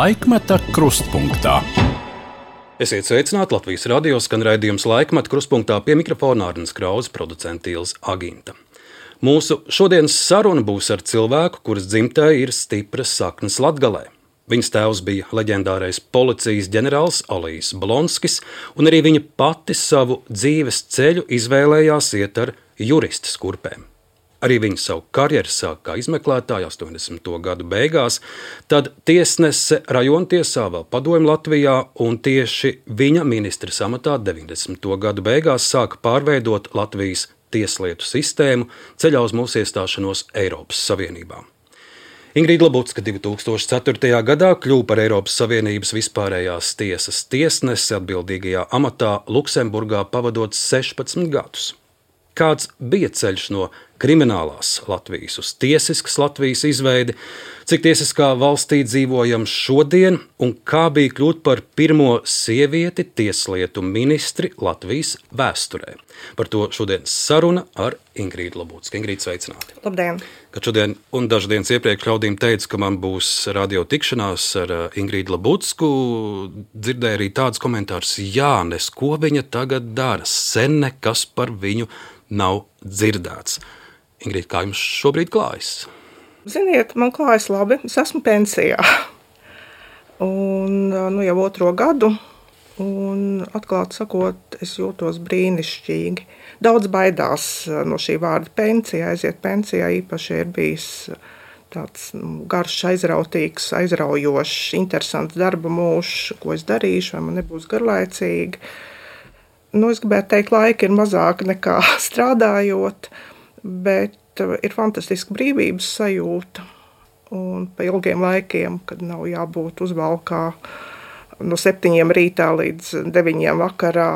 Laikmeta krustpunktā. Esiet sveicināti Latvijas radio skan raidījums Laikmeta krustpunktā pie mikrofona Arnis Krause, producente Ilze Aginta. Mūsu šodienas saruna būs ar cilvēku, kuras dzimtē ir stipras saknes Latgalē. Viņas tēvs bija leģendārais policijas ģenerālis Olijs Blonskis, un arī viņa pati savu dzīves ceļu izvēlējās iet ar juristes kurpēm. Arī viņa savu karjeru sāk kā izmeklētāja 80. gadu beigās, tad tiesnese rajontiesā vēl padomju Latvijā, un tieši viņa ministres amatā 90. gadu beigās sāka pārveidot Latvijas tieslietu sistēmu ceļā uz mūsu iestāšanos Eiropas Savienībā. Ingrīda Labucka 2004. gadā kļuva par Eiropas Savienības vispārējās tiesas tiesnesi atbildīgajā amatā Luksemburgā pavadot 16 gadus. Kāds bija ceļš no kriminālās Latvijas uz tiesiskas Latvijas izveidi, cik tiesiskā valstī dzīvojam šodien un kā bija kļūt par pirmo sievieti tieslietu ministri Latvijas vēsturē. Par to šodienas saruna ar Ingrīdu Labucku. Ingrīda, sveicināti! Labdien! Kad šodien un dažas dienas iepriekš ļaudīm teica, ka man būs radio tikšanās ar Ingrīdu Labucku, dzirdēju arī tādus komentārus: Jānis, ko viņa tagad dara? Sen nekas par viņu nav dzirdēts. Ingrīda, kā jums šobrīd klājas? Ziniet, man klājas labi. Es esmu pensijā. Un jau 2. gadu. Un atklāti sakot, es jūtos brīnišķīgi. Daudz baidās no šī vārda pensija. Aiziet pensijā īpaši ir bijis tāds garš, aizrautīgs, aizraujošs, interesants darba mūžs, ko es darīšu, vai man nebūs garlaicīgi. Es gribētu teikt, laika ir mazāk nekā strādājot, bet ir fantastiska brīvības sajūta. Un pa ilgiem laikiem, kad nav jābūt uzvalkā no 7 rītā līdz 9 vakarā,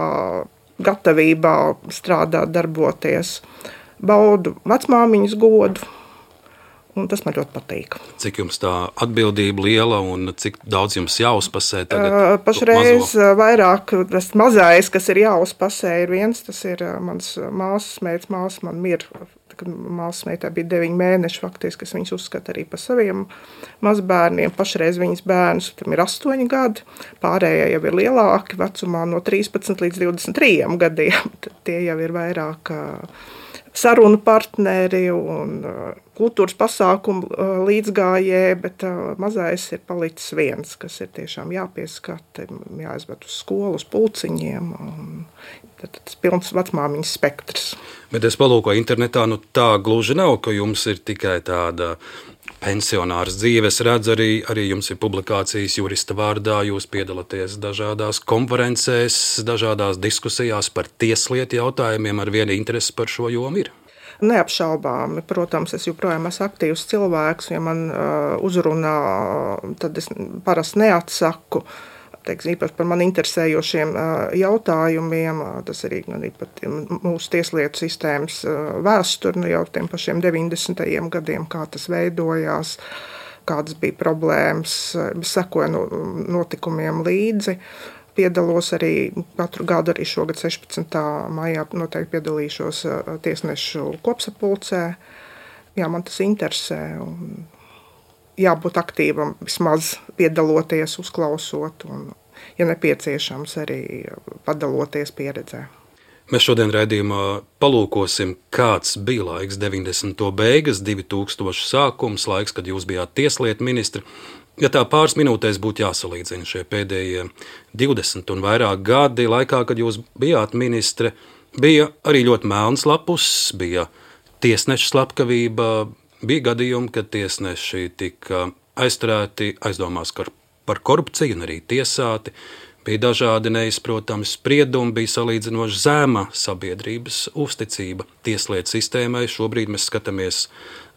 gatavībā strādāt, darboties, baudu vecmāmiņas godu. Un tas man ļoti patīk. Cik jums tā atbildība liela un cik daudz jums jāuzpasē tagad? Pašreiz vairāk tas mazais, kas ir jāuzpasē, ir viens. Tas ir mans māsas meitas, māsa man mirra. Kad māsas meitā bija 9 mēneši, faktiski, es viņas uzskatu arī par saviem mazbērniem. Pašreiz viņas bērnus, tam ir 8 gadi, pārējie jau ir lielāki, vecumā no 13 līdz 23 gadiem. Tie jau ir vairāk sarunu partneri un kultūras pasākumu līdzgājēji, bet mazais ir palicis viens, kas ir tiešām jāpieskata, jāizved uz skolu, uz pulciņiem. Tas pilns vecmāmiņas spektrs. Bet es palūkoju internetā, tā gluži nav, ka jums ir tikai tāda pensionārs dzīve. Es redzu, arī jums ir publikācijas jurista vārdā, jūs piedalāties dažādās konferencēs, dažādās diskusijās par tieslietu jautājumiem, ar vienu interesi par šo jomu ir. Neapšaubāmi. Protams, es joprojām esmu aktīvs cilvēks, ja man uzrunā, tad es parasti neatsaku. Īpaši par mani interesējošiem jautājumiem, tas arī pat mūsu tieslietu sistēmas vēsturi, jau tiem pašiem 90. gadiem, kā tas veidojās, kādas bija problēmas, sekoju notikumiem līdzi. Piedalos arī katru gadu, arī šogad 16. maijā noteikti piedalīšos tiesnešu kopsapulcē. Jā, man tas interesē. Jābūt aktīvam, vismaz piedaloties, uzklausot un, ja nepieciešams, arī padaloties pieredzē. Mēs šodien raidījumā palūkosim, kāds bija laiks 90. beigas, 2000 sākums, laiks, kad jūs bijāt tieslietu ministri. Ja tā pāris minūtēs būtu jāsalīdzina šie pēdējie 20 un vairāk gadi laikā, kad jūs bijāt ministre, bija arī ļoti melns lapus, bija tiesneša slepkavība, bija gadījumi, kad tiesneši tika aizturēti aizdomās par korupciju un arī tiesāti. Bija dažādi neizprotami spriedumi, bija salīdzinoši zema sabiedrības uzticība tieslietu sistēmai. Šobrīd mēs skatāmies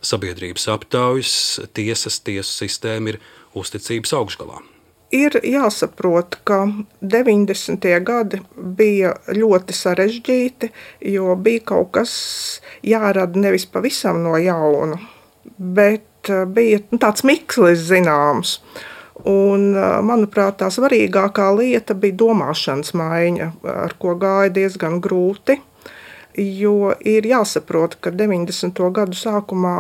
sabiedrības aptaujas, tiesu sistēma ir uzticības augšgalā. Ir jāsaprot, ka 90. gadi bija ļoti sarežģīti, jo bija kaut kas jārada nevis pavisam no jauna, bet bija tāds mikslis zināms. Un, manuprāt, tā svarīgākā lieta bija domāšanas maiņa, ar ko gāja diezgan grūti. Jo ir jāsaprot, ka 90. gadu sākumā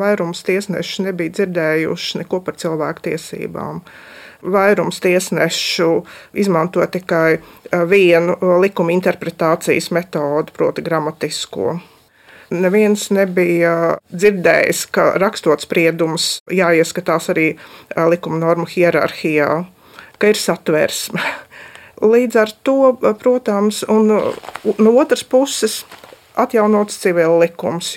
vairums tiesneši nebija dzirdējuši neko par cilvēku tiesībām. Vairums tiesnešu izmanto tikai vienu likuma interpretācijas metodu, proti gramatisko. Neviens nebija dzirdējis, ka rakstot spriedumus jāieskatās arī likuma normu hierarhijā, ka ir satversme. Līdz ar to, protams, un no otras puses atjaunots civil likums,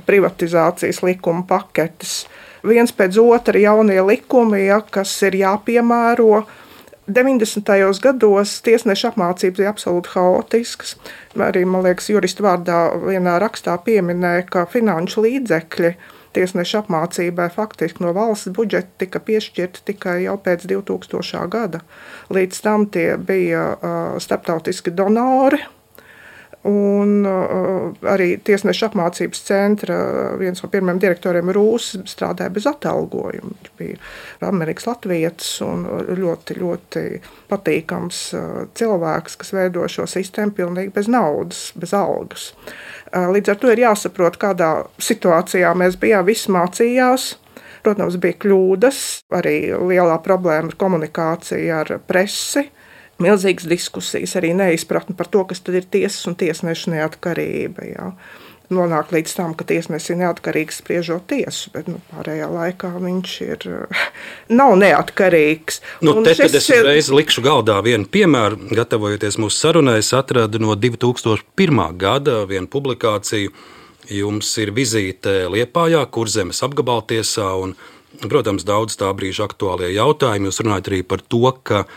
privatizācijas likuma paketes. Viens pēc otra jaunie likumi, kas ir jāpiemēro. 90. gados tiesneša apmācības bija absolūti haotiskas. Arī, man liekas, juristu vārdā vienā rakstā pieminēja, ka finanšu līdzekļi tiesneša apmācībai faktiski no valsts budžeta tika piešķirti tikai jau pēc 2000. gada. Līdz tam tie bija starptautiski donori. Un arī tiesneša apmācības centra viens no pirmajiem direktoriem Rūsis strādāja bez atalgojuma. Viņš bija Amerikas latvietis un ļoti, ļoti patīkams cilvēks, kas veido šo sistēmu pilnīgi bez naudas, bez algas. Līdz ar to ir jāsaprot, kādā situācijā mēs bijām, visi mācījās. Protams, bija kļūdas, arī lielā problēma ar komunikāciju ar presi. Milzīgas diskusijas, arī neizpratne par to, kas tad ir tiesas un tiesneša neatkarība. Jā. Nonāk līdz tam, ka tiesnesis ir neatkarīgs spriežot tiesu, bet pārējā laikā viņš nav neatkarīgs. Tad es uzreiz likšu galdā vienu piemēru. Gatavojoties mūsu sarunai, es atradu no 2001. gada vienu publikāciju. Jums ir vizīte Liepājā, Kurzemes apgabaltiesā, un, protams, daudz tā brīža aktuālie jautājumi. Jūs runājat arī par to, ka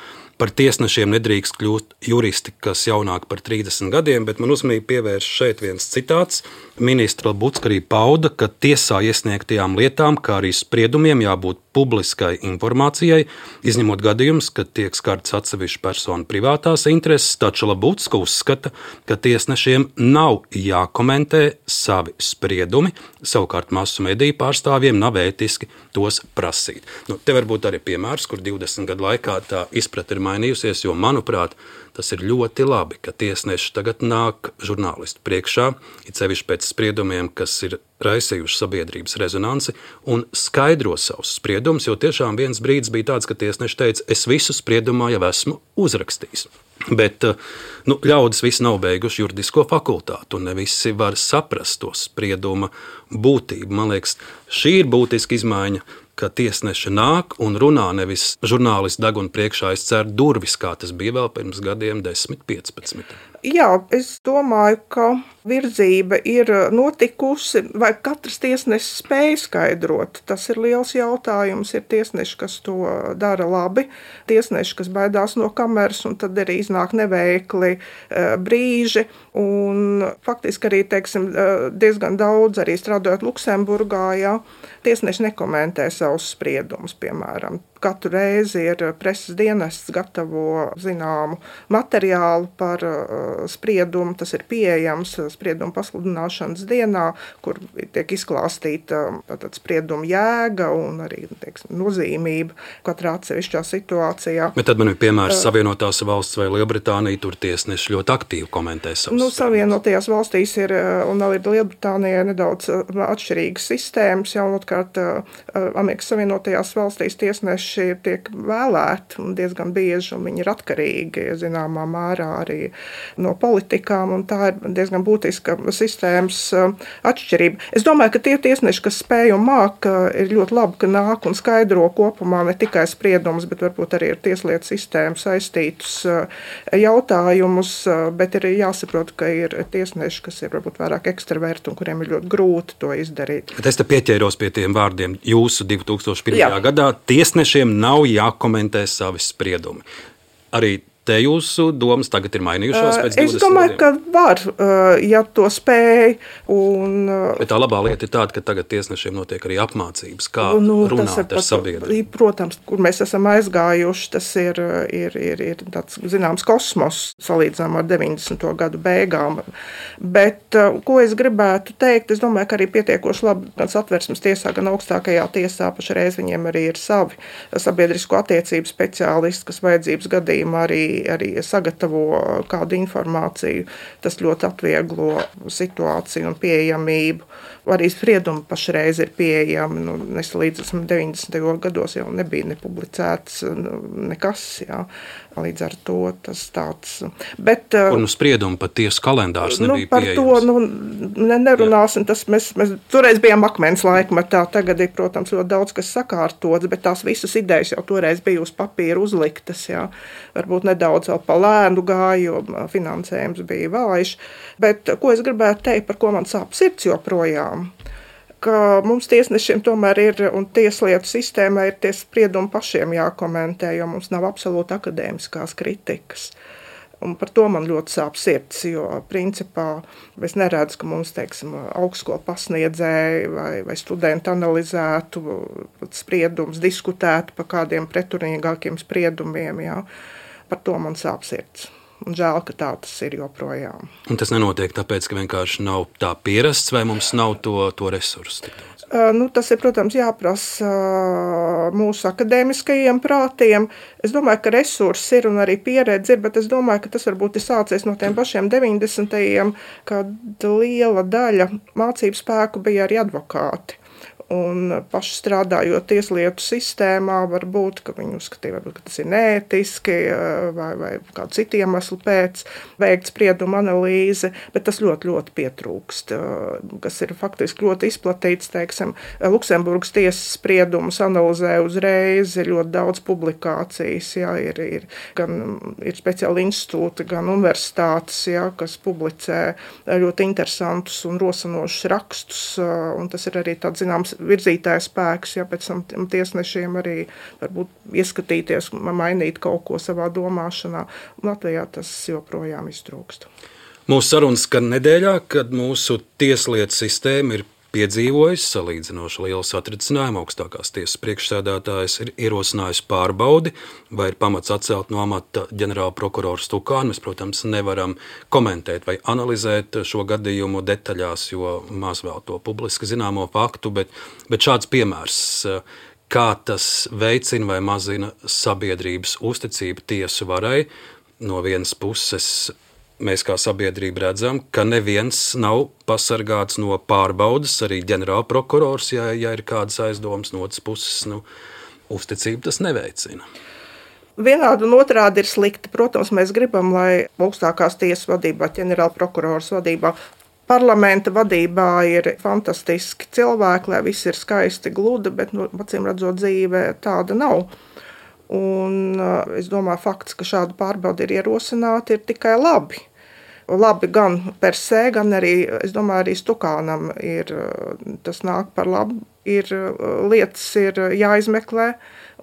par tiesnešiem nedrīkst kļūt juristi, kas jaunāk par 30 gadiem, bet man uzmanību pievērš šeit viens citāts. Ministra Labucka arī pauda, ka tiesā iesniegtajām lietām, kā arī spriedumiem jābūt publiskai informācijai, izņemot gadījumus, kad tiek skarts atsevišķu personu privātās intereses, taču Labucka uzskata, ka tiesnešiem nav jākomentē savi spriedumi, savukārt masu mediju pārstāvjiem nav ētiski tos prasīt. Te varbūt arī piemērs, kur 20 gadu laikā tā izpratne ir mainījusies, jo, manuprāt, tas ir ļoti labi, ka tiesneši tagad nāk žurnālistu priekšā, it sevišķi pēc spriedumiem, kas ir raisījuši sabiedrības rezonanci, un skaidro savus spriedumus, jo tiešām viens brīdis bija tāds, ka tiesneši teica, es visu spriedumā jau esmu uzrakstījis. Bet ļaudis visi nav beiguši juridisko fakultātu, un ne visi var saprast to sprieduma būtību. Man liekas, šī ir būtiska izmaiņa, ka tiesneši nāk un runā, nevis žurnālisti deguna priekšā aizcer durvis, kā tas bija vēl pirms gadiem 10, 15. Jā, es domāju, ka virzība ir notikusi, vai katrs tiesnesis spēj skaidrot. Tas ir liels jautājums. Ir tiesneši, kas to dara labi, tiesneši, kas baidās no kameras, un tad arī iznāk neveikli brīži. Un faktiski arī, diezgan daudz, arī strādājot Luksemburgā, tiesneši nekomentē savus spriedumus, piemēram. Katru reizi ir preses dienests gatavo zināmu materiālu par spriedumu. Tas ir pieejams sprieduma pasludināšanas dienā, kur tiek izklāstīta sprieduma jēga un arī nozīmība katrā atsevišķā situācijā. Bet tad man ir piemērs Savienotās valsts vai Lielbritānija, tur tiesneši ļoti aktīvi komentē savus. Savienotajās valstīs ir, un arī Lielbritānijā nedaudz atšķirīgas sistēmas. Jaunotkārt Amerikas Savienotajās valstīs tiesneši tiek vēlēti un diezgan bieži, un viņi ir atkarīgi, zināmā mērā arī no politikām, un tā ir diezgan būtiska sistēmas atšķirība. Es domāju, ka tie tiesneši, kas spēj un māk, ir ļoti labi, ka nāk un skaidro kopumā ne tikai spriedumus, bet varbūt arī ar tieslietu sistēmu saistītus jautājumus, bet ir jāsaprot, ka ir tiesneši, kas ir varbūt vairāk ekstraverti un kuriem ir ļoti grūti to izdarīt. Bet es te pieķēros pie tiem vārdiem jūsu 2001. gadā tiesneši nav jākomentē savi spriedumi. Arī te jūsu domas tagad ir mainījušās pēc 20 gadiem? Es domāju, ka var, ja to spēj. Bet tā labā lieta ir tāda, ka tagad tiesnešiem notiek arī apmācības, kā runāt ar sabiedrību. Protams, kur mēs esam aizgājuši, tas ir tāds zināms kosmos salīdzinām ar 90. gadu beigām. Bet, ko es gribētu teikt, es domāju, ka arī pietiekoši labi gan Satversmes tiesā, gan augstākajā tiesā pašreiz viņiem arī ir savi sabiedrisko attiecību speciālisti, kas vajadzības gadījumā arī arī sagatavo kādu informāciju. Tas ļoti atvieglo situāciju un pieejamību. Arī spriedumi pašreiz ir pieejami. Līdz 90. gados jau nebija nepublicēts nekas. Jā. Līdz ar to tas tāds. Bet, un spriedumi pat tiesu kalendārs nebija pieejams. Par to nerunāsim. Mēs toreiz bijām akmens laikmetā. Tagad ir, protams, ļoti daudz kas sakārtots, bet tās visas idejas jau toreiz bija uz papīra uzliktas. Jā. Varbūt nedaudz vēl pa lēnu gāja, jo finansējums bija vājš. Bet ko es gribētu teikt, par ko man sāp sirds joprojām? Ka mums tiesnešiem tomēr ir, un tieslietu sistēmā ir tie spriedumi pašiem jākomentē, jo mums nav absolūti akadēmiskās kritikas. Un par to man ļoti sāp sirds, jo principā es neredzu, ka mums, teiksim, augstskolu pasniedzēji vai studenti analizētu spriedumus, diskutētu par kādiem pretrunīgākiem spriedumiem. Jā. Par to man sāp sirds. Un žēl, ka tā tas ir joprojām. Un tas nenotiek tāpēc, ka vienkārši nav tā pierasts, vai mums nav to resursu tik daudz? Tas ir, protams, jāprasa mūsu akadēmiskajiem prātiem. Es domāju, ka resursi ir un arī pieredze ir, bet es domāju, ka tas varbūt ir sācies no tiem pašiem 90. kad liela daļa mācību spēku bija arī advokāti. Un paši strādājot tieslietu sistēmā, varbūt, ka viņi uzskatīja, ka tas ir neētiski vai kādu citu iemeslu pēc veikt spriedumu analīzi, bet tas ļoti, ļoti pietrūkst, kas ir faktiski ļoti izplatīts, teiksim, Luksemburgas tiesas spriedumus analizē uzreiz, ir ļoti daudz publikācijas, jā, ir speciāli institūti, gan universitātes, jā, kas publicē ļoti interesantus un rosinošus rakstus, un tas ir arī tāds, zināms, virzītājs spēks, ja pēc tam tiesnešiem arī varbūt ieskatīties, mainīt kaut ko savā domāšanā. Latvijā tas joprojām iztrūkst. Mūsu sarunas skan nedēļā, kad mūsu tieslietu sistēma ir piedzīvojusi salīdzinoši lielu satricinājumu. Augstākās tiesas priekšsēdētājs ir ierosinājis pārbaudi, vai ir pamats atcelt no amata ģenerāla prokurora Stukānu. Mēs, protams, nevaram komentēt vai analizēt šo gadījumu detaļās, jo maz vēl to publiski zināmo faktu, bet šāds piemērs, kā tas veicina vai mazina sabiedrības uzticību tiesu varai, no vienas puses mēs kā sabiedrība redzam, ka neviens nav pasargāts no pārbaudas, arī ģenerālprokurors, ja ir kādas aizdomas, no otras puses, uzticību tas neveicina. Vienādi un otrādi ir slikti. Protams, mēs gribam, lai augstākās tiesas vadībā, ģenerālprokurors vadībā, parlamenta vadībā ir fantastiski cilvēki, lai viss ir skaisti, gludi, bet, acīm redzot, dzīve tāda nav. Un es domāju, fakts, ka šāda pārbauda ir ierosināta, ir tikai labi. Labi gan per se, gan arī, es domāju, arī Stukānam tas nāk par labu. Lietas ir jāizmeklē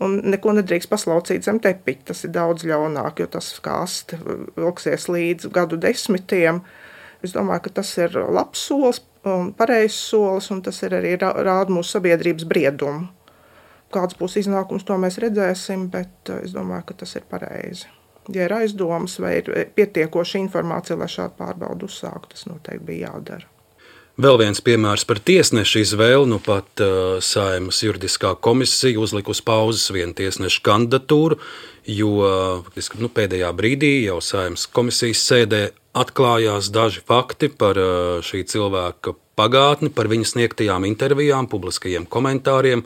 un neko nedrīkst paslaucīt zem tepiņa. Tas ir daudz ļaunāk, jo tas kā aste vilksies līdz gadu desmitiem. Es domāju, ka tas ir labs solis un pareizs solis, un tas ir arī rāda mūsu sabiedrības briedumu. Kāds būs iznākums, to mēs redzēsim, bet es domāju, ka tas ir pareizi. Ja ir aizdomas vai ir pietiekoša informācija, lai šādu pārbaudu uzsāktu, tas noteikti bija jādara. Vēl viens piemērs par tiesnešu izvēli, pat Saeimas juridiskā komisija uzlika uz pauzes vienu tiesnešu kandidatūru, jo pēdējā brīdī jau Saeimas komisijas sēdē atklājās daži fakti par šī cilvēka pagātni, par viņa sniegtajām intervijām, publiskajiem komentāriem,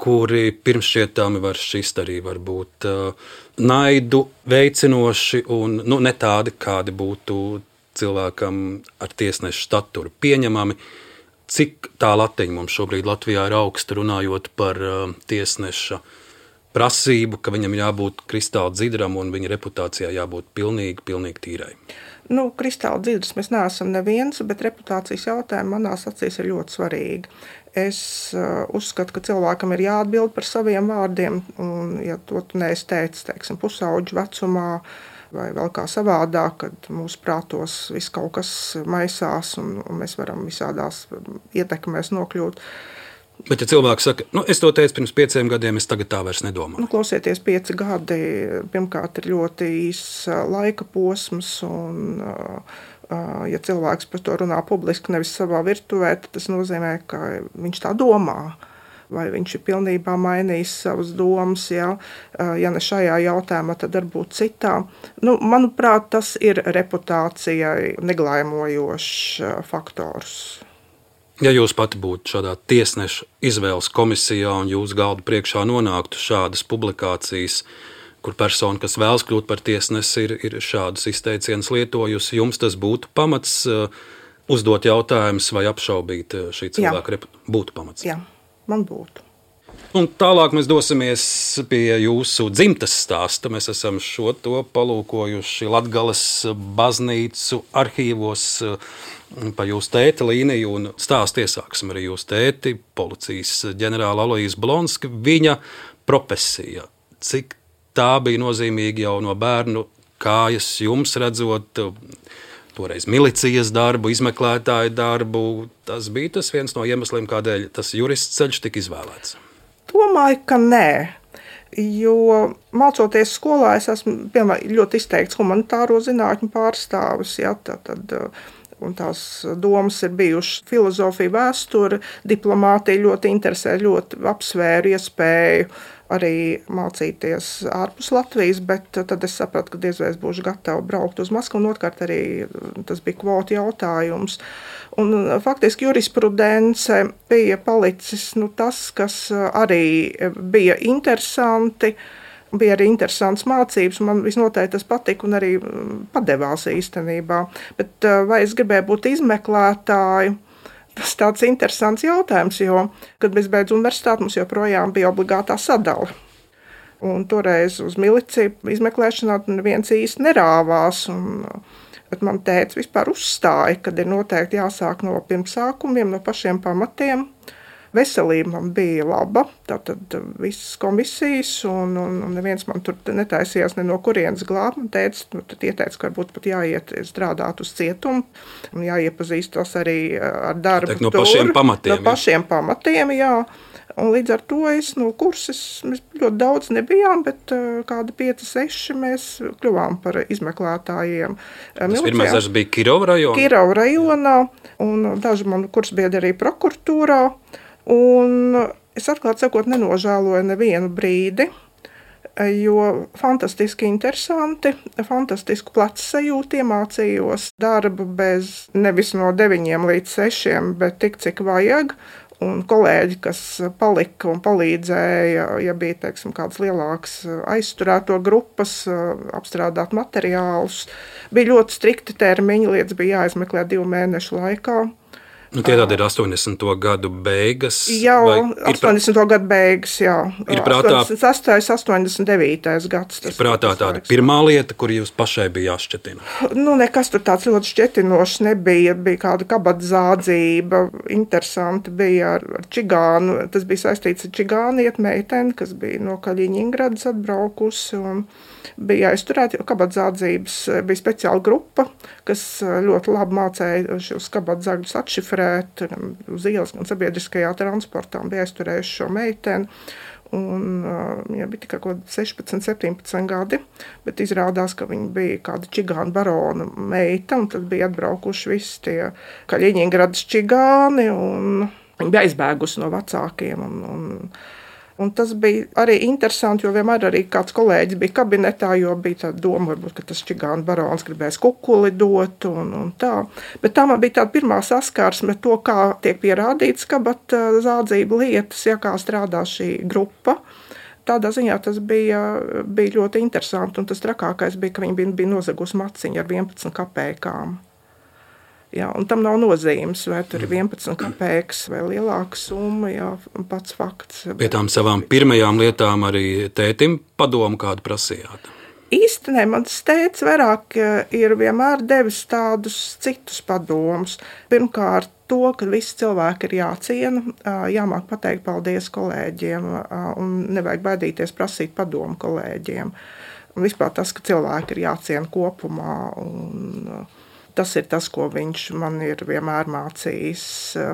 kuri pirmšķietami var šķist arī varbūt naidu veicinoši un ne tādi, kādi būtu cilvēkam ar tiesnešu staturu pieņemami. Cik tā latiņa mums šobrīd Latvijā ir augsta, runājot par tiesneša prasību, ka viņam jābūt kristāli dzidram un viņa reputācijā jābūt pilnīgi tīrai? Kristāli dzidrs mēs neesam neviens, bet reputācijas jautājumi manās acīs ir ļoti svarīgi. Es uzskatu, ka cilvēkam ir jāatbild par saviem vārdiem, un ja to tu neesi teicis, teiksim, pusauģu vecumā, vai vēl kā savādāk, kad mūsu prātos viss kaut kas maisās, un mēs varam visādās ietekmēs nokļūt. Bet ja cilvēks saka, es to teicu pirms 5 gadiem, es tagad tā vairs nedomāju. Klausieties, 5 gadi, pirmkārt, ir ļoti īss laika posms, un ja cilvēks par to runā publiski, nevis savā virtuvē, tad tas nozīmē, ka viņš tā domā. vai viņš ir pilnībā mainījis savas domas, ja ne šajā jautājumā, tad varbūt citā. Manuprāt, tas ir reputācijai neglāmojošs faktors. Ja jūs pati būtu šādā tiesneša izvēles komisijā un jūsu galda priekšā nonāktu šādas publikācijas, kur persona, kas vēlas kļūt par tiesnesi, ir šādus izteicienus lietojusi, jums tas būtu pamats uzdot jautājumus vai apšaubīt šī cilvēka reputāciju? Būtu pamats. Jā, man būtu. Un tālāk mēs dosimies pie jūsu dzimtes stāsta. Mēs esam šo to palūkojuši Latgales baznīcu arhīvos pa jūsu tēta līniju, un stāstu iesāksim arī jūsu tēti, policijas ģenerāla Aloīza Blonska, viņa profesija. Cik tā bija nozīmīga jau no bērnu kājas jums redzot, toreiz milicijas darbu, izmeklētāju darbu. Tas bija tas viens no iemesliem, kādēļ tas jurists ceļš tika izvēlēts. Domāju, ka nē. Jo mācoties skolā, es esmu ļoti izteikts humanitāro zinātņu pārstāvis. Ja, un tās domas ir bijušas filozofija, vēsture, diplomātija ļoti interesē, ļoti apsvēru iespēju arī mācīties ārpus Latvijas, bet tad es sapratu, ka diez vai es būšu gatava braukt uz Maskavu, un otrkārt arī tas bija kvotu jautājums. Un faktiski jurisprudence bija palicis tas, kas arī bija interesanti. Bija arī interesants mācības, man visnotaļ tas patika un arī padevās īstenībā. Bet vai es gribēju būt izmeklētāju? Tas tāds interesants jautājums, jo, kad mēs beidzu universitāti, mums joprojām bija obligātā sadale. Un toreiz uz miliciju izmeklēšanā neviens īsti nerāvās. Bet man tēvs vispār uzstāja, kad ir noteikti jāsāk no pirmsākumiem, no pašiem pamatiem. Veselība man bija laba, tātad visas komisijas, un neviens man tur netaisījās ne no kurienes glābt. Man ieteica, ka varbūt pat jāiet strādāt uz cietumu, un jāiepazīstas arī ar darbu no pašiem pamatiem. No pašiem pamatiem, jā. Un līdz ar to kursus mēs ļoti daudz nebijām, bet kādi 5-6 mēs kļuvām par izmeklētājiem. Tas pirmais darbs bija Kirova rajonā? Kirova rajonā, un daži mani kursbiedri arī prokuratūrā. Un es atklāti sakot nenožēloju nevienu brīdi, jo fantastiski interesanti, fantastisku plecu sajūtu iemācījos darbu bez nevis no 9 līdz 6, bet tik cik vajag. Un kolēģi, kas palika un palīdzēja, ja bija, teiksim, kādas lielākas aizturēto grupas, apstrādāt materiālus, bija ļoti strikti termiņi, lietas bija jāizmeklē 2 mēnešu laikā. Tie tādi ir 80. gadu beigas? Jā, 80. gadu beigas, jā. Ir prātā 86. 89. gads. Ir prātā tāda pirmā lieta, kur jūs pašai bija jāšķetina? Nekas tur tāds ļoti šķetinošs nebija. Bija kāda kabatzādzība, interesanti bija ar čigānu. Tas bija saistīts ar čigāniet meiteni, kas bija no Kaļiņingradas atbraukusi un bija aizturēta, jo kabatzādzības bija speciāla grupa, kas ļoti labi mācēja šos kabatzāģus atšifrēt uz ielas un sabiedriskajā transportā, un bija aizturējuši šo meiteni. Un viņa bija tikai 16, 17 gadi, bet izrādās, ka viņa bija kāda čigāna barona meita, un tad bija atbraukuši visi tie Kaļiņingradas čigāni, un viņa bija aizbēgusi no vecākiem. Un tas bija arī interesanti, jo vienmēr arī kāds kolēģis bija kabinetā, jo bija tāda doma, varbūt, ka tas čigāna barons gribēs kukuli dot un tā. Bet tā man bija tāda pirmā saskarsme to, kā tiek pierādīts kabatzādzību lietas, ja kā strādā šī grupa. Tādā ziņā tas bija ļoti interesanti, un tas trakākais bija, ka viņi bija nozagusi maciņu ar 11 kapēkām. Jā, un tam nav nozīmes, vai tur ir 11 kapēkas vai lielāka summa, jā, pats fakts. Pie tām savām pirmajām lietām arī tētim padomu kādu prasījāt? Īstenībā mans tēvs vairāk ir vienmēr devis tādus citus padomus. Pirmkārt, to, ka visi cilvēki ir jāciena, jāmāk pateikt paldies kolēģiem un nevajag baidīties prasīt padomu kolēģiem. Un vispār tas, ka cilvēki ir jāciena kopumā un tas ir tas, ko viņš man ir vienmēr mācījis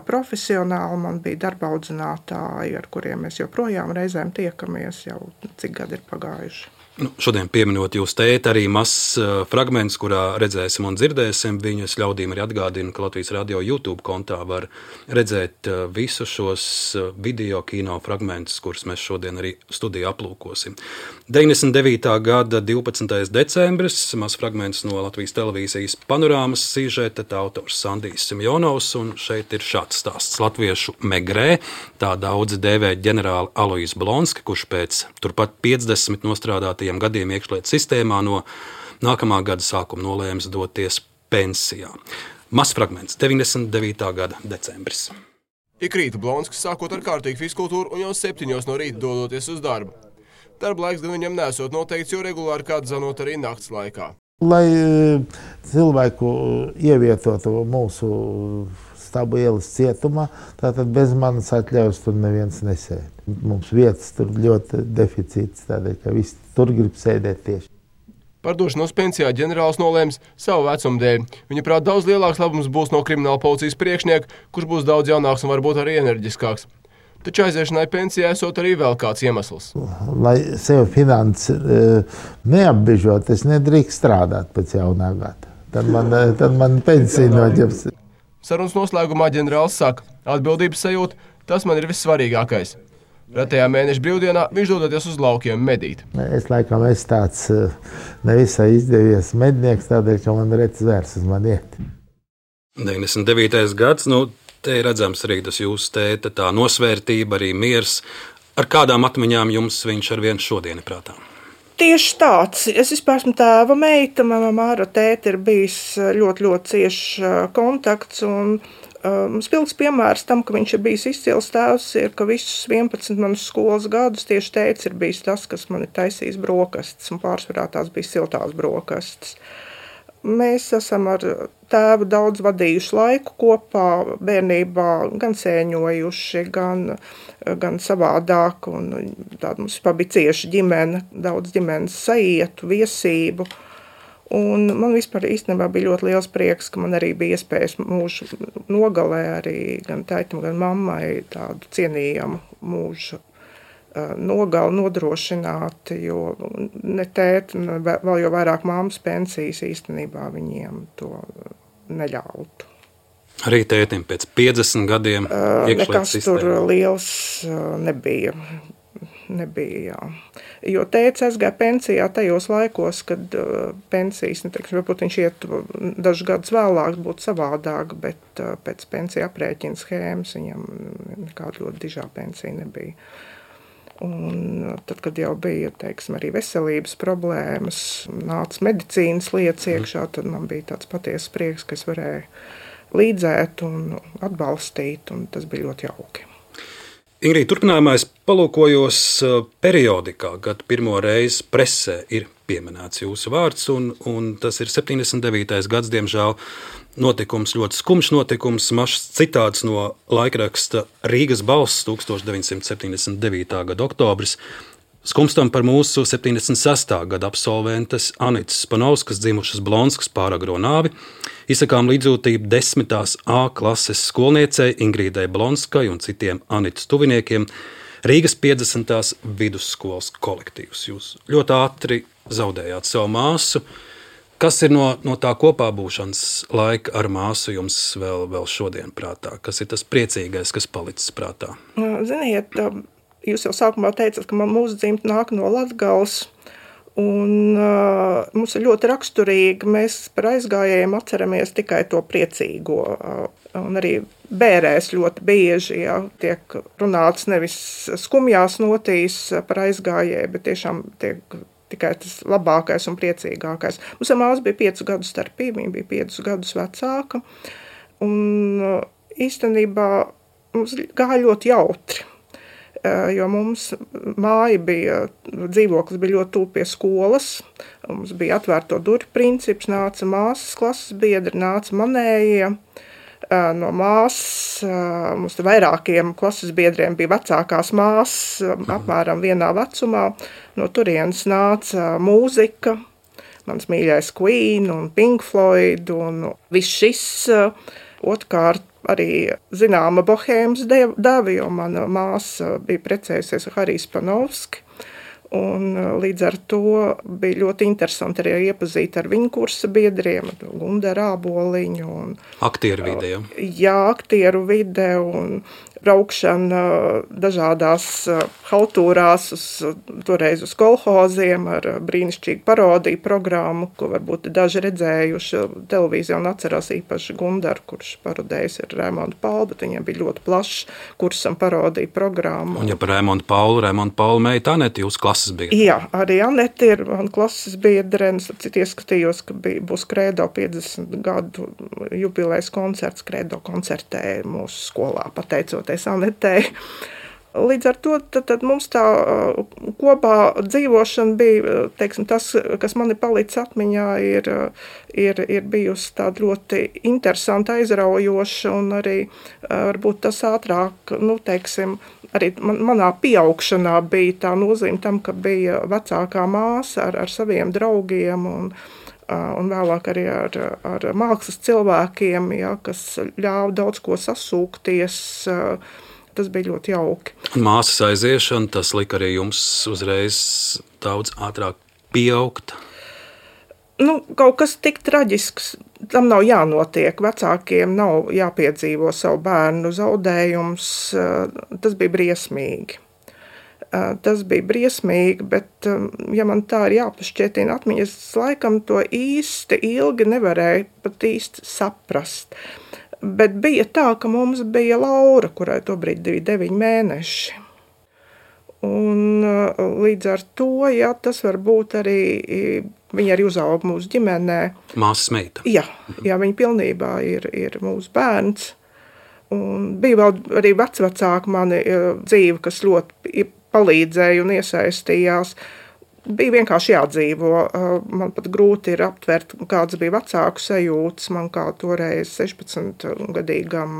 profesionāli. Man bija darba audzinātāji, ar kuriem mēs joprojām reizēm tiekamies, jau cik gadi ir pagājuši. Šodien pieminot jūs tēti, arī mazs fragments, kurā redzēsim un dzirdēsim viņu. Es ļaudīm arī atgādinu, ka Latvijas radio YouTube kontā var redzēt visus šos video kino fragmentus, kurus mēs šodien arī studijā aplūkosim. 99. gada 12. decembris, mazs fragments no Latvijas televīzijas panorāmas sižeta, tā autors Sandijs Simjonovs, un šeit ir šāds stāsts. Latviešu megrē, tā daudzi dēvē ģenerāli Alois Blonski, kurš pēc turpat 50 nostrādātajiem gadiem iekšlietu sistēmā no nākamā gada sākuma nolēms doties pensijā. Mazs fragments, 99. gada decembris. Ik rīta Blonskis sākot ar kārtīgu fizkultūru un jau 7 no rīta dodoties uz darbu. Darba laiks gan viņam nesot noteikts, jo regulāri kāds zanot arī nakts laikā. Lai cilvēku ievietotu mūsu Stabu ielas cietumā, tātad bez manas atļaujas tur neviens nesēd. Mums vietas tur ļoti deficīts, tādēļ, ka visi tur grib sēdēt tieši. Par došanos pensijā ģenerālis nolēms savu vecumu dēļ. Viņa prāt daudz lielāks labums būs no krimināla policijas priekšnieka, kurš būs daudz jaunāks un varbūt arī enerģiskāks. Taču aiziešanai pensijā esot arī vēl kāds iemesls. Lai sev finansi neapbežot, es nedrīkst strādāt pēc jaunā gada. Tad man pensija noģeps. Sarunas noslēgumā ģenerālis saka, atbildības sajūta, tas man ir vissvarīgākais. Retajā mēneša brīvdienā viņš dodoties uz laukiem medīt. Es laikam esmu tāds nevisai izdevies mednieks, tādēļ, ka man reti zvērs uz mani iet. 99. gads, te ir redzams arī tas jūsu tēta, tā nosvērtība, arī miers. Ar kādām atmiņām jums viņš ar vienu šodien ir prātā? Tieši tāds. Es vispār esmu tēva meita, manā māra tēta ir bijis ļoti, ļoti ciešs kontakts, un spilgts piemērs tam, ka viņš ir bijis izcils tēvs, ir, ka visus 11 manus skolas gadus tieši tēvs ir bijis tas, kas man ir taisījis brokastis, un pārsvarā tās bija siltās brokastis. Mēs esam ar tēvu daudz vadījuši laiku kopā, bērnībā gan sēņojuši, gan savādāk, un tāda mums bija cieša ģimene, daudz ģimenes saietu, viesību. Un man vispār īstenībā bija ļoti liels prieks, ka man arī bija iespējas mūžu nogalē arī gan tētim, gan mammai tādu cienījamu mūžu nogali nodrošināt, jo ne tēti, vēl jau vairāk mammas pensijas īstenībā viņiem to neļautu. Arī tētim pēc 50 gadiem nekas tur liels nebija, jā. Jo tētis aizgāja pensijā tajos laikos, kad pensijas, varbūt viņš iet dažus gadus vēlāk, būtu savādāk, bet pēc pensija aprēķina schēmas viņam nekāda ļoti dižā pensija nebija. Un tad, kad jau bija, arī veselības problēmas, nāca medicīnas lietas iekšā, tad man bija tāds patiesas prieks, ka es varēju līdzēt un atbalstīt, un tas bija ļoti jauki. Ingrīda, turpinājumā es palūkojos periodikā, kad pirmo reizi presē ir pieminēts jūsu vārds, un tas ir 79. gads, diemžēl notikums, ļoti skumjš notikums, mašs citāts no laikraksta Rīgas balss 1979. gada oktobris. Skumstam par mūsu 76. gada absolventes Anitas Spanovskas dzimušas Blonskas pāragro nāvi. Izsakām līdzjūtību 10. A klases skolniecei Ingrīdai Blonskai un citiem Anitas tuviniekiem. Rīgas 50. vidusskolas kolektīvs. Jūs ļoti ātri zaudējāt savu māsu. Kas ir no tā kopā būšanas laika ar māsu jums vēl šodien prātā? Kas ir tas priecīgais, kas palicis prātā? Ziniet, jūs jau sākumā teicat, ka mūsu dzimta nāk no Latgales, un mums ir ļoti raksturīgi, mēs par aizgājējiem atceramies tikai to priecīgo, un arī bērēs ļoti bieži, tiek runāts nevis skumjās notīs par aizgājēju, bet tiešām tiek tikai tas labākais un priecīgākais. Mums ar māsu bija 5 gadu starpība, viņa bija 5 gadus vecāka, un īstenībā mums gāja ļoti jautri, jo mums māja bija, dzīvoklis bija ļoti tuvu pie skolas, mums bija atvērto durvju princips, nāca māsas klases biedri, nāca manējie, no māsas, mums vairākiem klases biedriem bija vecākās māsas, apmēram vienā vecumā, no turienes nāca mūzika, mans mīļais Queen un Pink Floyd un viss šis, otrkārt arī zināma bohēmas deva, jo mana māsa bija precējusies ar Hariju Spanovski, Un līdz ar to bija ļoti interesanti arī iepazīt ar viņu kursa biedriem, Gundaru Āboliņu. Aktieru vide, ja? Jā, aktieru vide un braukšana dažādās haltūrās, toreiz uz kolhoziem ar brīnišķīgu parodiju programmu, ko varbūt daži redzējuši televīzijā un atcerās īpaši Gundaru, kurš parodējis ar Raimondu Paulu, bet viņam bija ļoti plašs kursam parodiju programma. Un ja par Raimondu Paulu meita Anete, jūs klases biedre? Jā, arī Anete ir man klases biedre, un citi ieskatījos, ka būs Kredo 50 gadu jubilejas koncerts. Kredo koncertē mūsu skolā, pateicoties Anetei. Līdz ar to tad mums tā kopā dzīvošana bija, teiksim, tas, kas man ir palicis atmiņā, ir bijusi tāda ļoti interesanta, aizraujoša, un arī varbūt tas ātrāk, teiksim, arī manā pieaugšanā bija tā nozīme tam, ka bija vecākā māsa ar saviem draugiem un vēlāk arī ar mākslas cilvēkiem, ja, kas ļāva daudz ko sasūkties. Tas bija ļoti jauki. Māsas aiziešana, tas lika arī jums uzreiz daudz ātrāk pieaugt? Kaut kas tik traģisks, tam nav jānotiek. Vecākiem nav jāpiedzīvo savu bērnu zaudējums. Tas bija briesmīgi. Bet, ja man tā ir jāpašķietina atmiņas, laikam to īsti ilgi nevarēju pat īsti saprast. Bet bija tā, ka mums bija Laura, kurai tobrīd bija 9 mēneši. Un līdz ar to, ja, tas varbūt arī, viņa arī uzauga mūsu ģimenē. Māsas meita. Jā, viņa pilnībā ir mūsu bērns. Un bija vēl arī vecvecāki mani dzīve, kas ļoti palīdzēja un iesaistījās. Bija vienkārši jādzīvo. Man pat grūti ir aptvert, kāds bija vecāku sajūtas. Man kā toreiz 16-gadīgam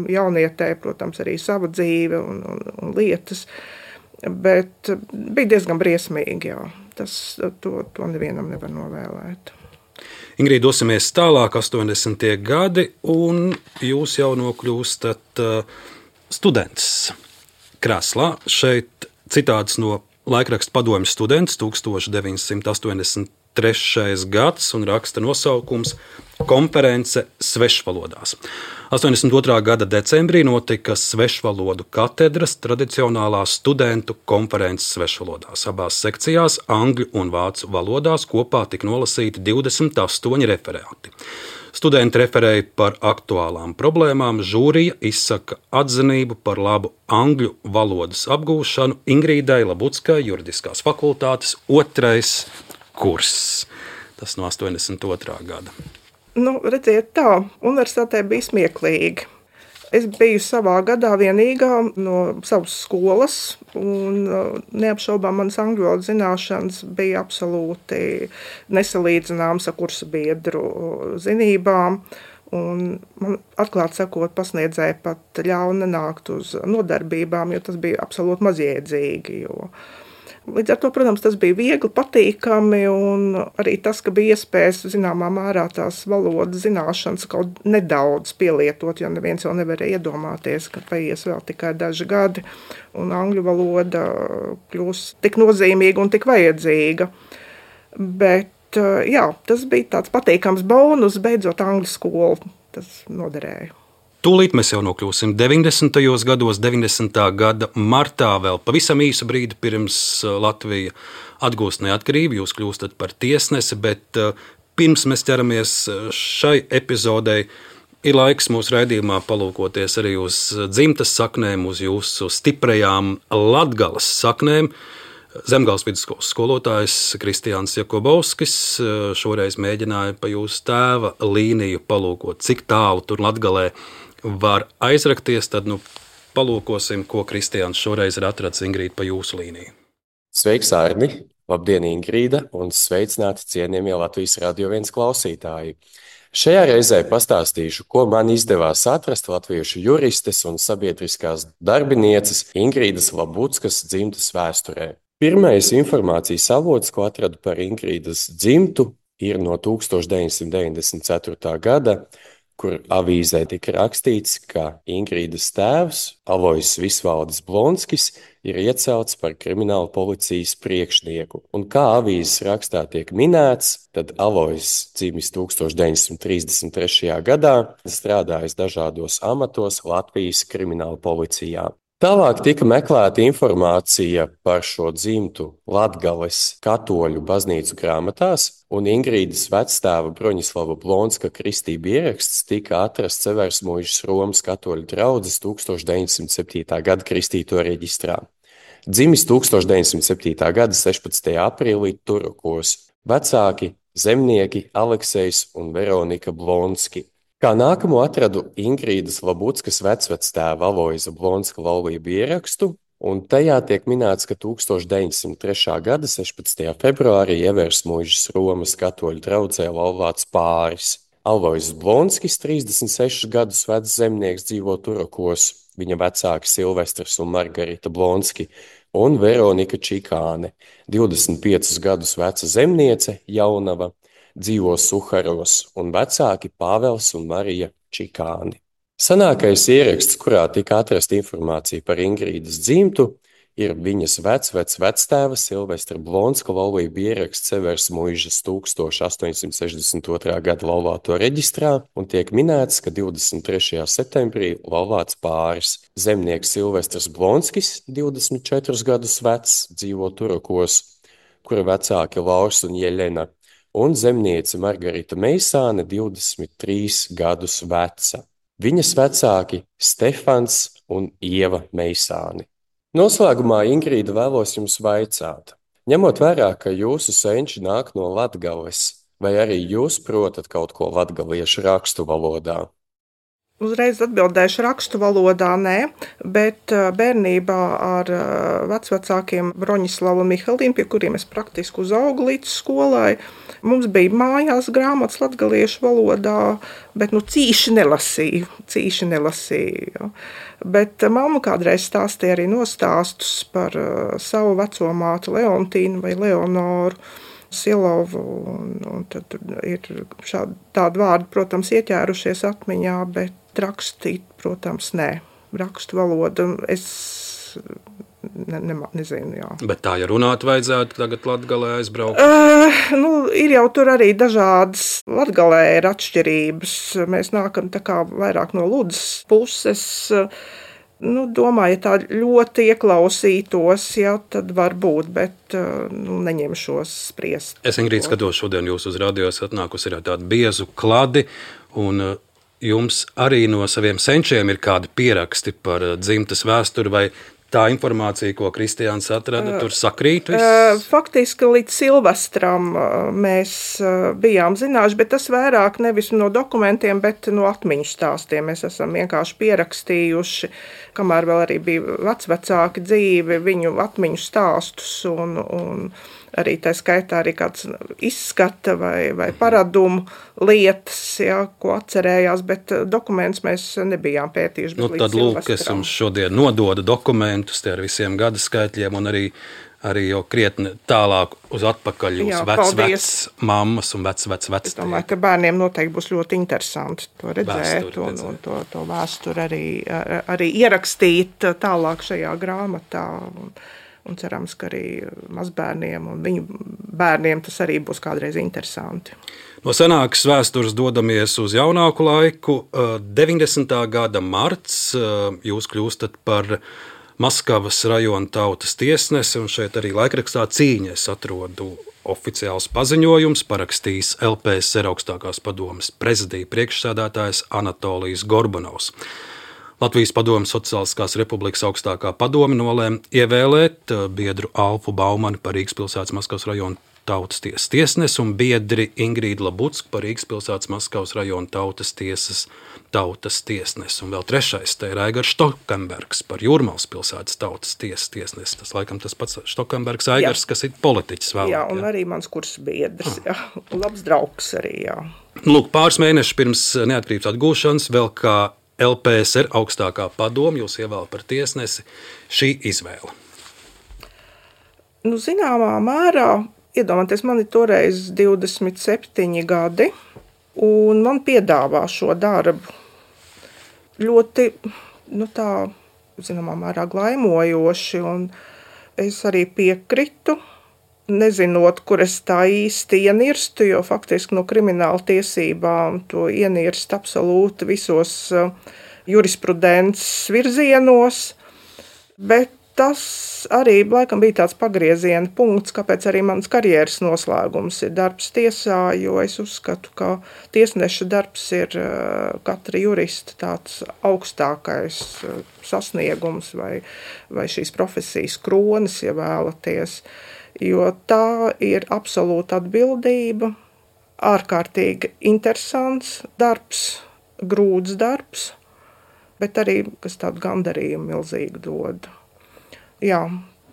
jaunietē, protams, arī sava dzīve un lietas. Bet bija diezgan briesmīgi, jā. To nevienam nevar novēlēt. Ingrīda, dosimies tālāk, 80. gadi, un jūs jau nokļūstat students krēslā. Šeit citāts no laikraksta Padomju students 1983. gads un raksta nosaukums Konference svešvalodās. 82. gada decembrī notika svešvalodu katedras tradicionālā studentu konferences svešvalodās. Abās sekcijās, angļu un vācu valodās, kopā tika nolasīti 28 referāti. Studenti referēja par aktuālām problēmām, žūrija izsaka atzinību par labu angļu valodas apgūšanu Ingrīdai Labuckai, juridiskās fakultātes 2. kurs. Tas no 82. gada. Redziet tā, universitātē bija smieklīgi. Es biju savā gadā vienīgā no savas skolas, un neapšaubām manas angļu valodas zināšanas bija absolūti nesalīdzināmas ar kursa biedru zinībām. Un man, atklāti sakot, pasniedzēja pat ļauj nenākt uz nodarbībām, jo tas bija absolūti mazjēdzīgi. Līdz ar to, protams, tas bija viegli, patīkami, un arī tas, ka bija iespējas zināmā mērā tās valodas zināšanas kaut nedaudz pielietot, jo neviens jau nevarēja iedomāties, ka paies vēl tikai daži gadi, un angļu valoda kļūs tik nozīmīga un tik vajadzīga. Bet, jā, tas bija tāds patīkams bonus, beidzot angļu skolu, tas noderēja. Tūlīt mēs jau nokļūsim 90. gados, 90. gada martā, vēl pavisam īsu brīdi pirms Latvija atgūst neatkarību. Jūs kļūstat par tiesnesi, bet pirms mēs ķeramies šai epizodei, ir laiks mūsu raidījumā palūkoties arī uz dzimtas saknēm, uz jūsu stiprajām Latgales saknēm. Zemgales vidusskolas skolotājs Kristiāns Jakobovskis šoreiz mēģināja pa jūsu tēva līniju palūkot, cik tālu tur Latgalē var aizrakties, tad palūkosim, ko Kristiāns šoreiz ir atrads, Ingrīda, pa jūsu līniju. Sveiks, Arni! Labdien, Ingrīda, un sveicināti cienījamie Latvijas Radio 1 klausītāji! Šajā reizē pastāstīšu, ko man izdevās atrast latviešu juristes un sabiedriskās darbinieces Ingrīdas Labuckas dzimtas vēsturē. Pirmais informācijas avots, ko atradu par Ingrīdas dzimtu, ir no 1994. gada, kur avīzē tika rakstīts, ka Ingrīdas tēvs, Alojs Visvaldis Blonskis, ir iecelts par krimināla policijas priekšnieku. Un kā avīzes rakstā tiek minēts, tad Alojs dzimis 1933. gadā, strādājis dažādos amatos Latvijas krimināla policijā. Tālāk tika meklēta informācija par šo dzimtu Latgales katoļu baznīcu grāmatās, un Ingrīdas vectēva Broņislava Blonska kristība ieraksts tika atrasts Seversmuižas Romas katoļu draudzes 1907. gada kristīto reģistrā. Dzimis 1907. gada 16. aprīlī Turokos. Vecāki zemnieki Aleksejs un Veronika Blonski. Kā nākamo atradu Ingrīdas Labuckas vecvectēva Aloja Blonska laulību ierakstu, un tajā tiek minēts, ka 1903. gada 16. februārī Eversmuižas Romas katoļu draudzē laulāts pāris. Alojs Blonskis, 36 gadus vecs zemnieks, dzīvo Turokos, viņa vecāki Silvestrs un Margarita Blonski, un Veronika Čikāne, 25 gadus veca zemniece, jaunava, dzīvo Suharos, un vecāki Pāvels un Marija Čikāni. Senākais ieraksts, kurā tika atrasta informācija par Ingrīdas dzimtu, ir viņas vectēva Silvestra Blonska laulību ieraksts Seversmuižas 1862. gada laulāto reģistrā, un tiek minēts, ka 23. septembrī laulāts pāris. Zemnieks Silvestrs Blonskis, 24 gadus vecs, dzīvo Turokos, kura vecāki Laurs un Jeļena, un zemniece Margarita Meisāne, 23 gadus veca. Viņas vecāki Stefans un Ieva Meisāni. Noslēgumā, Ingrīda, vēlos jums vaicāt, ņemot vērā, ka jūsu senči nāk no Latgales, vai arī jūs protat kaut ko latgaliešu rakstu valodā? Uzreiz atbildēšu rakstu valodā, nē, bet bērnībā ar vecvecākiem Broņislavu un Mihalīnu, pie kuriem es praktiski uzaugu līdz skolai, mums bija mājās grāmatas latgaliešu valodā, bet cīši nelasīju. Bet mamma kādreiz stāstīja arī nostāstus par savu veco māti Leontīnu vai Leonoru Silovu, un tad ir tādi vārdi, protams, ieķērušies atmiņā, bet rakstīt, protams, nē. Rakstu valodu es nezinu, jā. Bet tā, ja runāt vajadzētu tagad Latgalē aizbraukt? Ir jau tur arī dažādas. Latgalē ir atšķirības. Mēs nākam tā kā vairāk no Ludzas puses. Domāju, ja tā ļoti ieklausītos, tad var būt, bet neņemšos spriest. Es, Ingrīda, skatos šodien jūs uz radio, atnākusi ir tādu biezu kladi, un jums arī no saviem senčiem ir kādi pieraksti par dzimtas vēsturi, vai tā informācija, ko Kristiāns atrada, tur sakrīt viss? Faktiski līdz Silvestram mēs bijām zinājuši, bet tas vairāk nevis no dokumentiem, bet no atmiņu stāstiem. Mēs esam vienkārši pierakstījuši, kamēr vēl arī bija vecvecāki dzīvi, viņu atmiņu stāstus un arī tā skaitā arī kāds izskata vai paradumu lietas, ko atcerējās, bet dokumentus mēs nebijām pētījuši. Tad lūk, es jums šodien nododu dokumentus ar visiem gada skaitļiem un arī jau krietni tālāk uz atpakaļ jūs vec mammas un vec. Es domāju, ka bērniem noteikti būs ļoti interesanti to redzēt un to vēsturi arī ierakstīt tālāk šajā grāmatā. Un cerams, ka arī mazbērniem un viņu bērniem tas arī būs kādreiz interesanti. No senākas vēstures dodamies uz jaunāku laiku. 90. gada marts jūs kļūstat par Maskavas rajona tautas tiesnesi, un šeit arī laikrakstā Cīņa es atrodu oficiāls paziņojums, parakstījis LPSR augstākās padomes prezidija priekšsēdētājs Anatolijs Gorbunovs. Latvijas Padomes Sociālistiskās Republikas augstākā padome nolēma ievēlēt biedru Alfu Baumani par Rīgas pilsētas Maskavas rajona tautas tiesas tiesnesi un biedri Ingrīdu Labucku par Rīgas pilsētas Maskavas rajona tautas tiesas tautas tiesnesi. Un vēl trešais te ir Aigars Štokembergs par Jūrmalas pilsētas tautas tiesas tiesnesi. Tas laikam tas pats Štokembergs Aigars, kas ir politiķis vēl. Jā, un arī mans kursa biedrs, jā. Labs draugs arī, jā. Lūk, pāris mēnešus pirms neatkarības atgūšanas vēl kā LPSR augstākā padome jūs ievēl par tiesnesi. Šī izvēle? Zināmā mērā, iedomājieties, man ir toreiz 27 gadi, un man piedāvā šo darbu. Ļoti, tā zināmā mērā glaimojoši, un es arī piekritu, nezinot, kur es tā īsti ienirstu, jo faktiski no krimināla tiesībām to ienirst absolūti visos jurisprudences virzienos, bet tas arī laikam bija tāds pagrieziena punkts, kāpēc arī mans karjeras noslēgums ir darbs tiesā, jo es uzskatu, ka tiesneša darbs ir katra jurista tāds augstākais sasniegums vai šīs profesijas kronis, ja vēlaties, jo tā ir absolūta atbildība, ārkārtīgi interesants darbs, grūts darbs, bet arī, kas tādu gandarījumu milzīgu dod. Jā,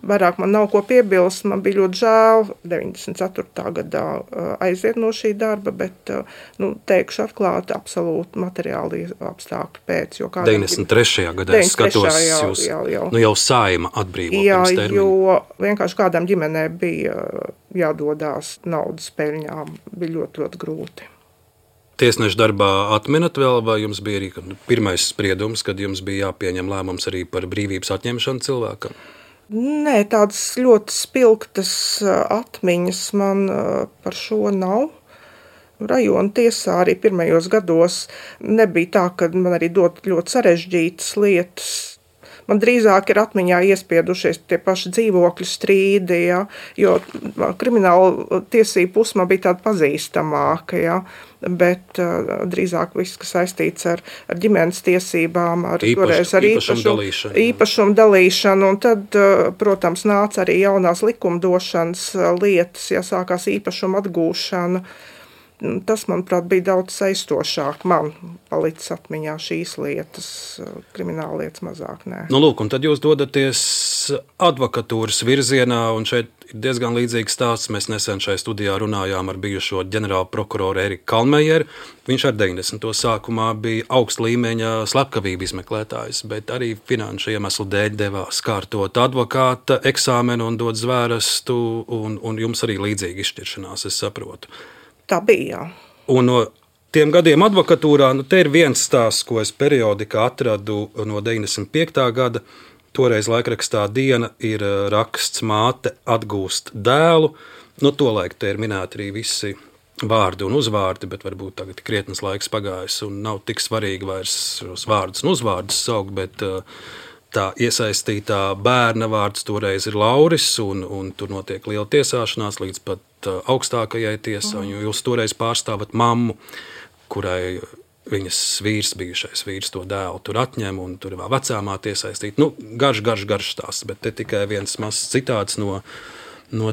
vairāk man nav ko piebilst, man bija ļoti žēl 94. gadā aiziet no šī darba, bet, teikšu atklāti, absolūti materiāli apstākļi pēc. 93. gadā es skatos, jūs jau Saeima atbrīvo pirms termiņa. Jo vienkārši kādām ģimenē bija jādodās naudas peļņām, bija ļoti, ļoti grūti. Tiesneša darbā atminat vēl, vai jums bija arī pirmais spriedums, kad jums bija jāpieņem lēmums arī par brīvības atņemšanu cilvēkam? Nē, tādas ļoti spilgtas atmiņas man par šo nav. Rajona tiesā arī pirmajos gados nebija tā, ka man arī dod ļoti sarežģītas lietas. Man drīzāk ir atmiņā iespiedušies tie paši dzīvokļu strīdi, ja, jo krimināla tiesība puse man bija tāda pazīstamāka, ja, bet drīzāk viss, kas saistīts ar ģimenes tiesībām, ar īpašumu dalīšanu, un tad, protams, nāca arī jaunās likumdošanas lietas, ja sākās īpašuma atgūšana. Tas, manuprāt, bija daudz saistošāk. Man palicis atmiņā šīs lietas, krimināla lietas mazāk, nē. Lūk, un tad jūs dodaties advokatūras virzienā, un šeit ir diezgan līdzīgs stāsts. Mēs nesen šajā studijā runājām ar bijušo ģenerālu prokuroru Eriku Kalmejeru. Viņš ar 90. sākumā bija augsta līmeņa slepkavību izmeklētājs, bet arī finanšu iemeslu dēļ devās kārtot advokāta eksāmenu un dot zvērestu, un jums arī līdzīga izšķiršanās, es saprotu. Tā bija, jā. Un no tiem gadiem advokatūrā, te ir viens stāsts, ko es periodikā atradu no 95. gada. Toreiz laikrakstā Diena ir raksts māte atgūst dēlu. Tolaik te ir minēti arī visi vārdi un uzvārdi, bet varbūt tagad krietnes laiks pagājis un nav tik svarīgi vairs šos vārdus un uzvārdus saukt, bet tā iesaistītā bērna vārds toreiz ir Lauris, un tur notiek liela tiesāšanās līdz pat augstākajai tiesai. Jūs toreiz pārstāvat mammu, kurai viņas bijušais vīrs to dēlu tur atņem, un tur ir vēl vecāmāte iesaistīta. Garš stāsts, bet te tikai viens mazs citāts no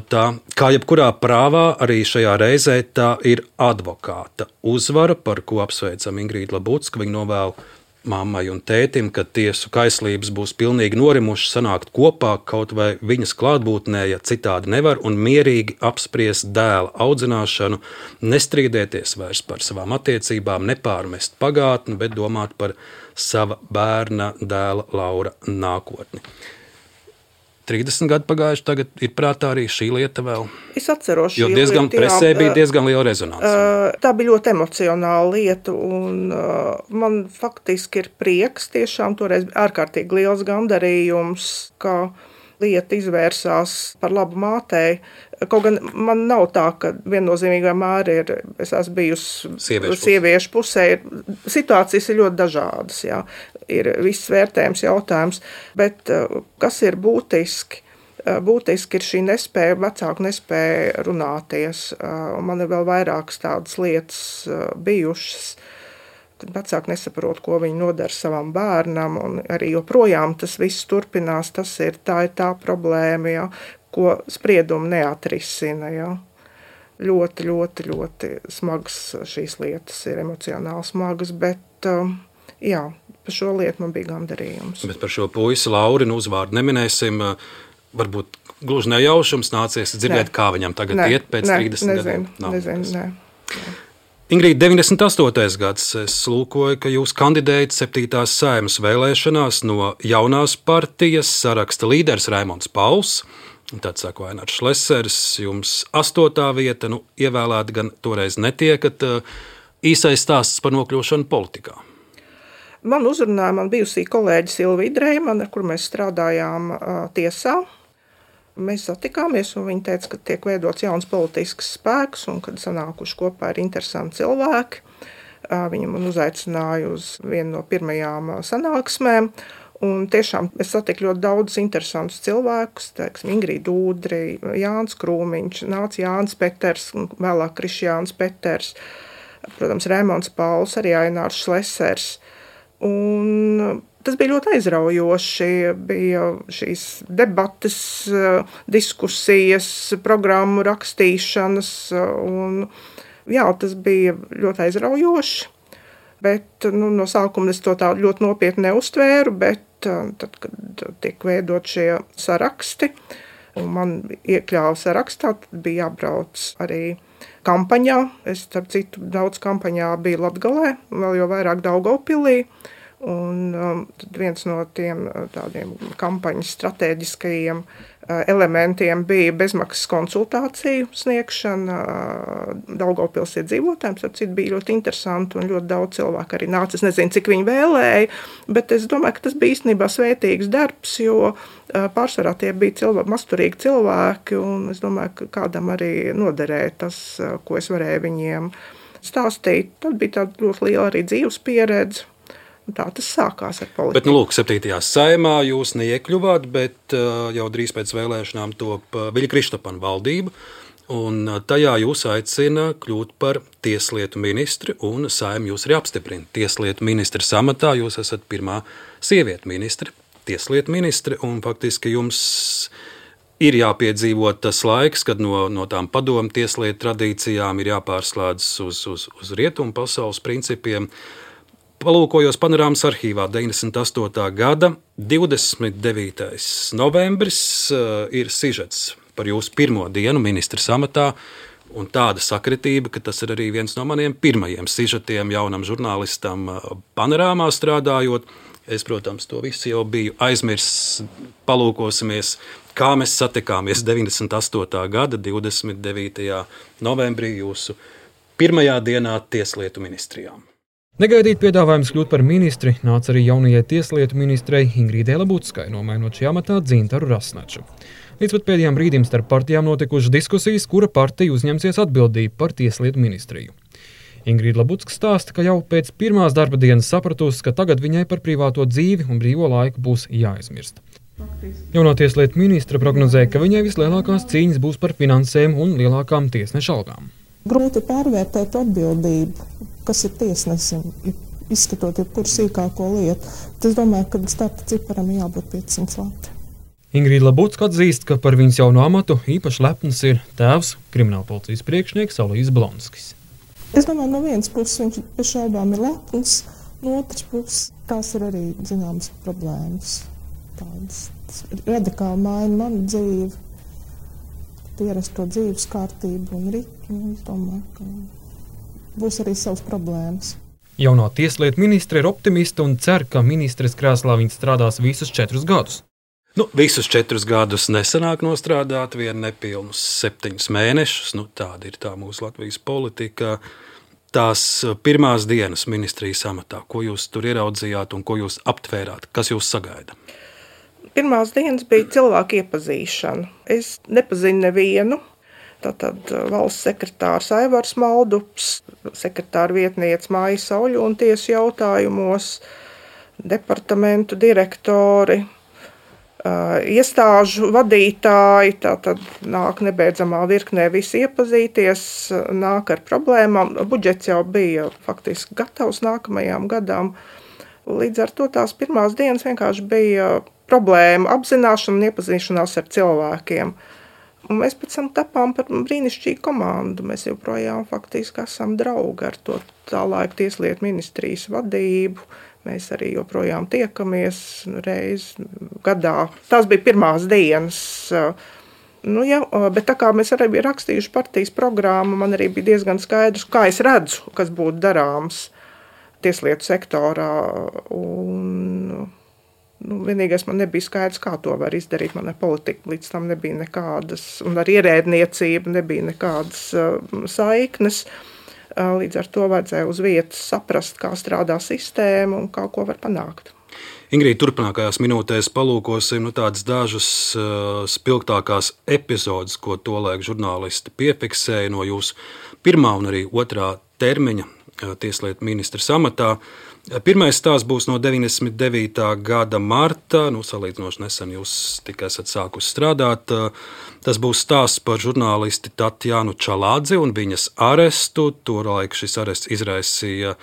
tā. Kā jebkurā prāvā, arī šajā reizē tā ir advokāta uzvara, par ko apsveicam Ingrīdu Labucku. Viņa novēl mammai un tētim, ka tiesu kaislības būs pilnīgi norimušas, sanākt kopā kaut vai viņas klātbūtnē, ja citādi nevar, un mierīgi apspriest dēla audzināšanu, nestrīdēties vairs par savām attiecībām, nepārmest pagātni, bet domāt par sava bērna dēla Laura nākotni. 30 gadi pagājuši, tagad ir prātā arī šī lieta vēl. Es atceros šī lieta. Jo presē bija diezgan liela rezonanse. Tā bija ļoti emocionāla lieta, un man faktiski ir prieks, tiešām toreiz ārkārtīgi liels gandarījums, ka lieta izvērsās par labu mātei. Kaut gan man nav tā, ka viennozīmīgi vienmēr es esmu bijusi sieviešu pusē. Situācijas ir ļoti dažādas, jā. Ir viss vērtējums jautājums, bet kas ir būtiski? Būtiski ir šī nespēja, vecāku nespēja runāties. Man ir vēl vairākas tādas lietas bijušas, kad vecāki nesaprot, ko viņi nodara savam bērnam, un arī joprojām tas viss turpinās. Tā ir tā problēma, jā, ko spriedumi neatrisina. Jā. Ļoti, ļoti, ļoti smagas šīs lietas ir, emocionāli smagas, bet jā, par šo lietu man bija gandarījums. Bet par šo puisi Laurinu uzvārdu neminēsim. Varbūt gluži nejaušums nācies dzirdēt, kā viņam tagad iet pēc 30 gadiem. Nezinu. Ingrīda, 98. gads, es lūkoju, ka jūs kandidējat 7. Saeimas vēlēšanās no jaunās partijas, saraksta līderis Raimonds Pauls, tad saka Vainārs Šlesers, jums 8. vieta, ievēlēta gan toreiz netiekat. Īsais stāsts par nokļūšanu politikā. Man uzrunāja man bijusī kolēģi Silvija Dreimane, ar kuru mēs strādājām tiesā. Mēs satikāmies, un viņa teica, ka tiek veidots jauns politisks spēks, un kad sanākuši kopā ir interesanti cilvēki. Viņa man uzaicināja uz vienu no pirmajām sanāksmēm. Un tiešām es satiku ļoti daudz interesantus cilvēkus, teiksim, Ingrīda Ūdri, Jānis Krūmiņš, nāca Jānis Peters, un vēlāk Krišjāns Peters, protams, Raimonds Pauls, arī Ainārs Šlesers. Un tas bija ļoti aizraujoši, bija šīs debates, diskusijas, programmu rakstīšanas, un jā, tas bija ļoti aizraujoši. Bet no sākuma es to tā ļoti nopietni neuztvēru, bet tad, kad tiek veidot šie saraksti, un man iekļāva sarakstā, tad bija jābrauc arī kampaņā. Es, starp citu, daudz kampaņā biju Latgalē, vēl jau vairāk Daugavpilī. Un tad viens no tiem tādiem kampaņas stratēģiskajiem elementiem bija bezmaksas konsultāciju sniegšana Daugavpils iedzīvotājiem. Starp citu, bija ļoti interesanti un ļoti daudz cilvēku arī nāca. Es nezinu, cik viņi vēlēja, bet es domāju, ka tas bija īstenībā svētīgs darbs, jo pārsvarā tie bija masturīgi cilvēki, un es domāju, ka kādam arī noderēja tas, ko es varēju viņiem stāstīt. Tad bija tāda ļoti liela arī dzīves pieredze. Tā tas sākās ar politiku. Bet, lūk, 7. saimā jūs neiekļuvāt, bet jau drīz pēc vēlēšanām top Viļa Kristapana valdība, un tajā jūs aicina kļūt par tieslietu ministri, un saima jūs arī apstiprina. Tieslietu ministra amatā jūs esat pirmā sieviete ministri, tieslietu ministri, un faktiski jums ir jāpiedzīvot tas laiks, kad no tām padomu tieslietu tradīcijām ir jāpārslēdzas uz rietumu pasaules principiem. Palūkojos panorāmas arhīvā 98. gada 29. novembris ir sižets par jūsu pirmo dienu ministra amatā, un tāda sakritība, ka tas ir arī viens no maniem pirmajiem sižetiem jaunam žurnālistam panorāmā strādājot. Es, protams, to visu jau biju aizmirsis. Palūkosimies, kā mēs satikāmies 98. gada 29. novembrī jūsu pirmajā dienā tieslietu ministrijām. Negaidīt piedāvājums kļūt par ministri nāca arī jaunajai tieslietu ministrei Ingrīdai Labuckai, nomainot šajā amatā Dzintaru Rasnaču. Līdz pat pēdējām brīdim starp partijām notikušas diskusijas, kura partija uzņemsies atbildību par tieslietu ministriju. Ingrīda Labucka stāsta, ka jau pēc pirmās darba dienas sapratusi, ka tagad viņai par privāto dzīvi un brīvo laiku būs jāaizmirst. Jaunā tieslietu ministra prognozēja, ka viņai vislielākās cīņas būs par finansēm un lielākām tiesneša algām. Grūti pārvērtēt atbildību, kas ir tiesnesim, izskatot jebkuru sīkāko lietu. Es domāju, ka starta ciparam jābūt 500 lati. Ingrīda Labucka atzīst, ka par viņas jauno amatu īpaši lepns ir tēvs, kriminālpolicijas priekšnieks Alojzs Blonskis. Es domāju, no vienas puses viņš bez šaubām ir lepns, no otras puses tās ir arī zināmas problēmas. Tādas radikāli maina manu dzīvi, ierasto dzīves kārtību un ritmu. Es domāju, ka būs arī savas problēmas. Jaunā tieslietu ministre ir optimista un cer, ka ministres krēslā viņa strādās visus 4 gadus. Visus 4 gadus nesanāk nostrādāt, vien nepilnus 7 mēnešus. Tāda ir tā mūsu Latvijas politika. Tās pirmās dienas ministrijas amatā, ko jūs tur ieraudzījāt un ko jūs aptvērāt, kas jūs sagaida? Pirmās dienas bija cilvēku iepazīšana. Es nepazinu nevienu. Tātad valsts sekretārs Aivars Maldups, sekretāra vietniece Māja Sauļona tiesu jautājumos, departamentu direktori, iestāžu vadītāji, tātad nāk nebeidzamā virknē visi iepazīties, nāk ar problēmām. Budžets jau bija faktiski gatavs nākamajām gadām. Līdz ar to tās pirmās dienas vienkārši bija problēma apzināšana un iepazīšanās ar cilvēkiem. Un mēs pēc tam tapām par brīnišķīgu komandu. Mēs joprojām faktiski esam draugi ar to tā laika tieslietu ministrijas vadību. Mēs arī joprojām tiekamies reizi gadā. Tās bija pirmās dienas. Bet tā kā mēs arī bijām rakstījuši partijas programmu, man arī bija diezgan skaidrs, kā es redzu, kas būtu darāms tieslietu sektorā. Vienīgais man nebija skaidrs, kā to var izdarīt. Mana politika līdz tam nebija nekādas, un ar ierēdniecību nebija nekādas saiknes. Līdz ar to vajadzēja uz vietas saprast, kā strādā sistēma un kā ko var panākt. Ingrīda, turpmākajās minūtēs palūkosim tādas dažas spilgtākās epizodes, ko tolaik žurnālisti piefiksēja no jūsu pirmā un arī otrā termiņa tieslietu ministra amatā. Pirmais stāsts būs no 99. gada marta. Salīdzinoši nesen jūs tikai esat sākusi strādāt. Tas būs stāsts par žurnālisti Tatjanu Čalādzi un viņas arestu. Tolaik šis arests izraisīja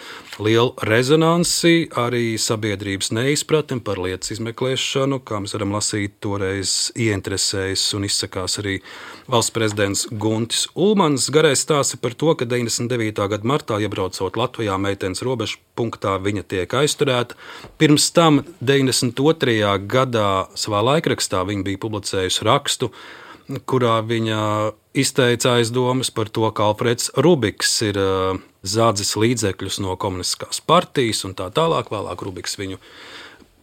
lielu rezonansi, arī sabiedrības neizpratni par lietas izmeklēšanu. Kā mēs varam lasīt, toreiz ieinteresējis un izsakās arī valsts prezidents Guntis Ulmans. Garais stāsts par to, ka 99. gada martā, iebraucot Latvijā meitenes robežu punktā, viņa tiek aizturēta. Pirms tam 92. gadā savā laikrakstā viņa bija publicējusi rakstu, kurā viņa izteica aizdomas par to, ka Alfreds Rubiks ir zādzis līdzekļus no komunistiskās partijas un tā tālāk. Vēlāk Rubiks viņu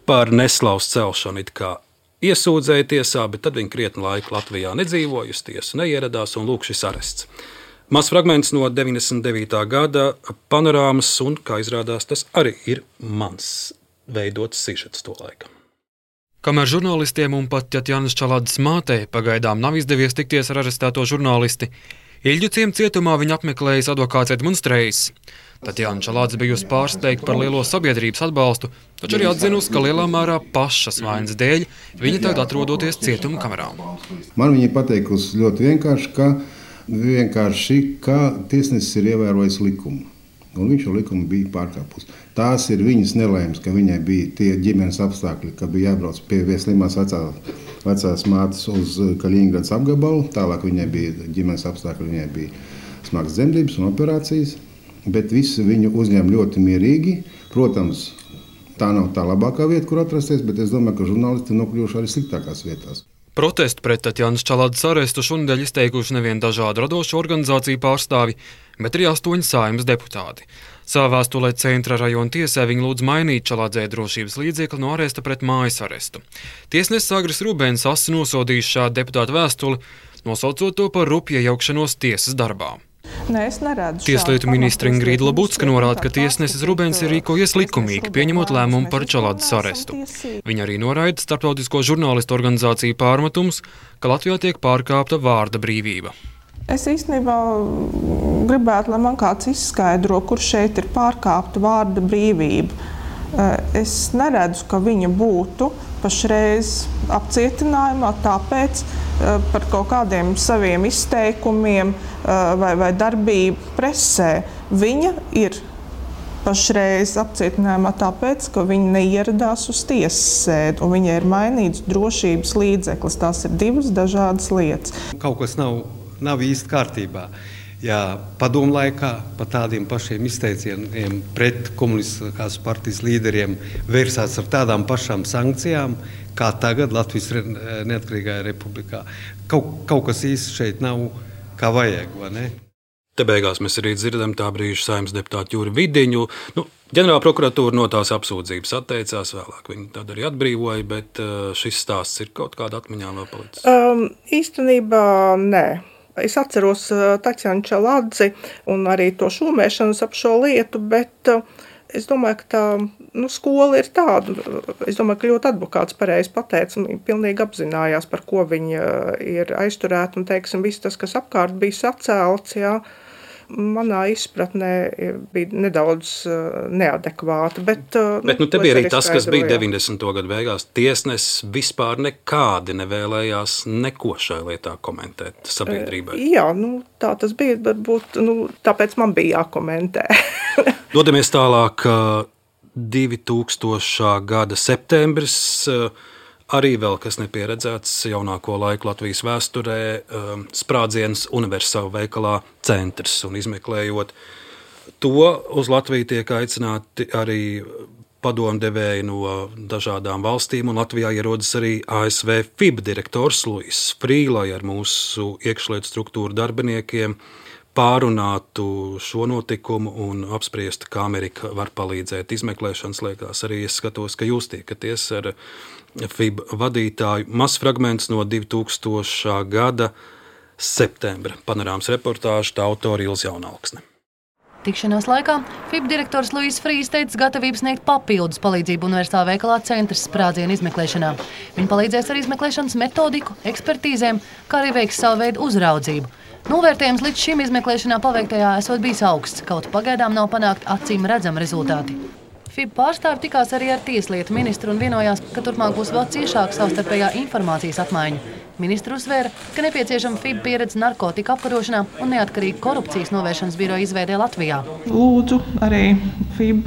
par neslaus celšanu it kā iesūdzēja tiesā, bet tad viņa krietni laiku Latvijā nedzīvoja, uz tiesu neieradās un lūk šis arests. Mazs fragments no 99. gada panorāmas, un, kā izrādās, tas arī ir mans veidots sižets to laiku. Kamēr žurnālistiem un pat Tatjanas Čalādzes mātei pagaidām nav izdevies tikties ar arestēto žurnālisti, Ilģu ciema cietumā viņa apmeklējis advokāts Edmunds Trejs. Tatjana Čalādze bijusi pārsteigta par lielo sabiedrības atbalstu, taču arī atzinusi, ka lielā mērā pašas vainas dēļ viņa tagad atrodoties cietuma kamerā. Man viņa pateikusi ļoti vienkārši, ka tiesnesis ir ievērojis likumu. Un viņš šo likumu bija pārkāpus. Tās ir viņas nelaimes, ka viņai bija tie ģimenes apstākļi, ka bija jābrauc pie vieslimās vecās mātes uz Kaļiņgradas apgabalu. Tālāk viņai bija ģimenes apstākļi, viņai bija smagas dzemdības un operācijas. Bet visi viņu uzņem ļoti mierīgi. Protams, tā nav tā labākā vieta, kur atrasties, bet es domāju, ka žurnālisti ir nokļuvuši arī sliktākās vietās. Protestu pret Tatjanas Čalādzes arestu šonedēļ izteikuši nevien dažādu radošu organizāciju pārstāvi, bet arī 8 Saeimas deputāti. Savā vēstulē Centra rajona tiesā viņi lūdz mainīt Čalādzei drošības līdzekli no aresta pret mājas arestu. Tiesnesis Agris Rubēns asi nosodījis šādu deputātu vēstuli, nosaucot to par rupju iejaukšanos tiesas darbā. Tieslietu ministre Ingrīda Labucka norāda, ka tiesnesis Rubēns ir rīkojies likumīgi, pieņemot lēmumu par Čalādzes arestu. Viņa arī noraida starptautisko žurnālistu organizāciju pārmetumus, ka Latvijā tiek pārkāpta vārda brīvība. Es īstenībā gribētu, lai man kāds izskaidro, kur šeit ir pārkāpta vārda brīvība. Es neredzu, ka viņa būtu pašreiz apcietinājumā, tāpēc par kaut kādiem saviem izteikumiem vai darbību presē. Viņa ir pašreiz apcietinājumā tāpēc, ka viņa neieradās uz tiesas sēdi un viņai ir mainīts drošības līdzeklis. Tās ir 2 dažādas lietas. Kaut kas nav īsti kārtībā. Ja padomu laikā pa tādiem pašiem izteicieniem pret komunistiskās partijas līderiem vērsās ar tādām pašām sankcijām, kā tagad Latvijas neatkarīgajā republikā. Kaut kas īsti šeit nav kā vajag, vai ne? Te beigās mēs arī dzirdam tā brīža Saeimas deputātu Juri Vidiņu. Ģenerāla prokuratūra no tās apsūdzības atteicās, vēlāk viņi tad arī atbrīvoja, bet šis stāsts ir kaut kāda atmiņā vēl palicis? Īstenībā nē. Es atceros Tatjanu Čalādzi un arī to šūmēšanas ap šo lietu, bet es domāju, ka tā skola ir tāda. Es domāju, ka ļoti advokāts pareizi pateica, un pilnīgi apzinājās, par ko viņa ir aizturēta, un teiksim, viss tas, kas apkārt bija sacēlts, jā. Manā izpratnē bija nedaudz neadekvāta. Bet te bija arī tas, kas bija 90. gadu beigās. Tiesnesis vispār nekādi nevēlējās neko šai lietā komentēt sabiedrībai. Jā, tā tas bija, varbūt, tāpēc man bija jākomentē. Dodamies tālāk, 2000. gada septembris. Arī vēl kas nepieredzēts jaunāko laiku Latvijas vēsturē, sprādziens Universāla veikalā Centrs. Un izmeklējot to, uz Latviju tiek aicināti arī padomdevēji no dažādām valstīm, un Latvijā ierodas arī ASV FIB direktors Luis Frī, lai ar mūsu iekšlietu struktūru darbiniekiem pārunātu šo notikumu un apspriestu, kā Amerika var palīdzēt izmeklēšanas lietās. Arī es skatos, ka jūs tiekaties ar FIB vadītāju. Mazs fragments no 2000. gada septembra panorāmas reportāža, tā autora Ilze Jaunalksne. Tikšanās laikā FIB direktors Luīs Frīs teica gatavības sniegt papildus palīdzību universālā veikalā Centrs sprādzienu izmeklēšanā. Viņi palīdzēs ar izmeklēšanas metodiku, ekspertīzēm, kā arī veiks savu veidu uzraudzību. Novērtējums līdz šim izmeklēšanā paveiktajā esot bijis augsts, kaut pagaidām nav panākt acīm redzami rezultāti. FIB pārstāvi tikās arī ar tieslietu ministru un vienojās, ka turpmāk būs vēl ciešāka savstarpējā informācijas apmaiņa. Ministru uzsvēra, ka nepieciešama FIB pieredze narkotika apkarošanā un neatkarīga korupcijas novēršanas biroja izveidē Latvijā. Lūdzu arī FIB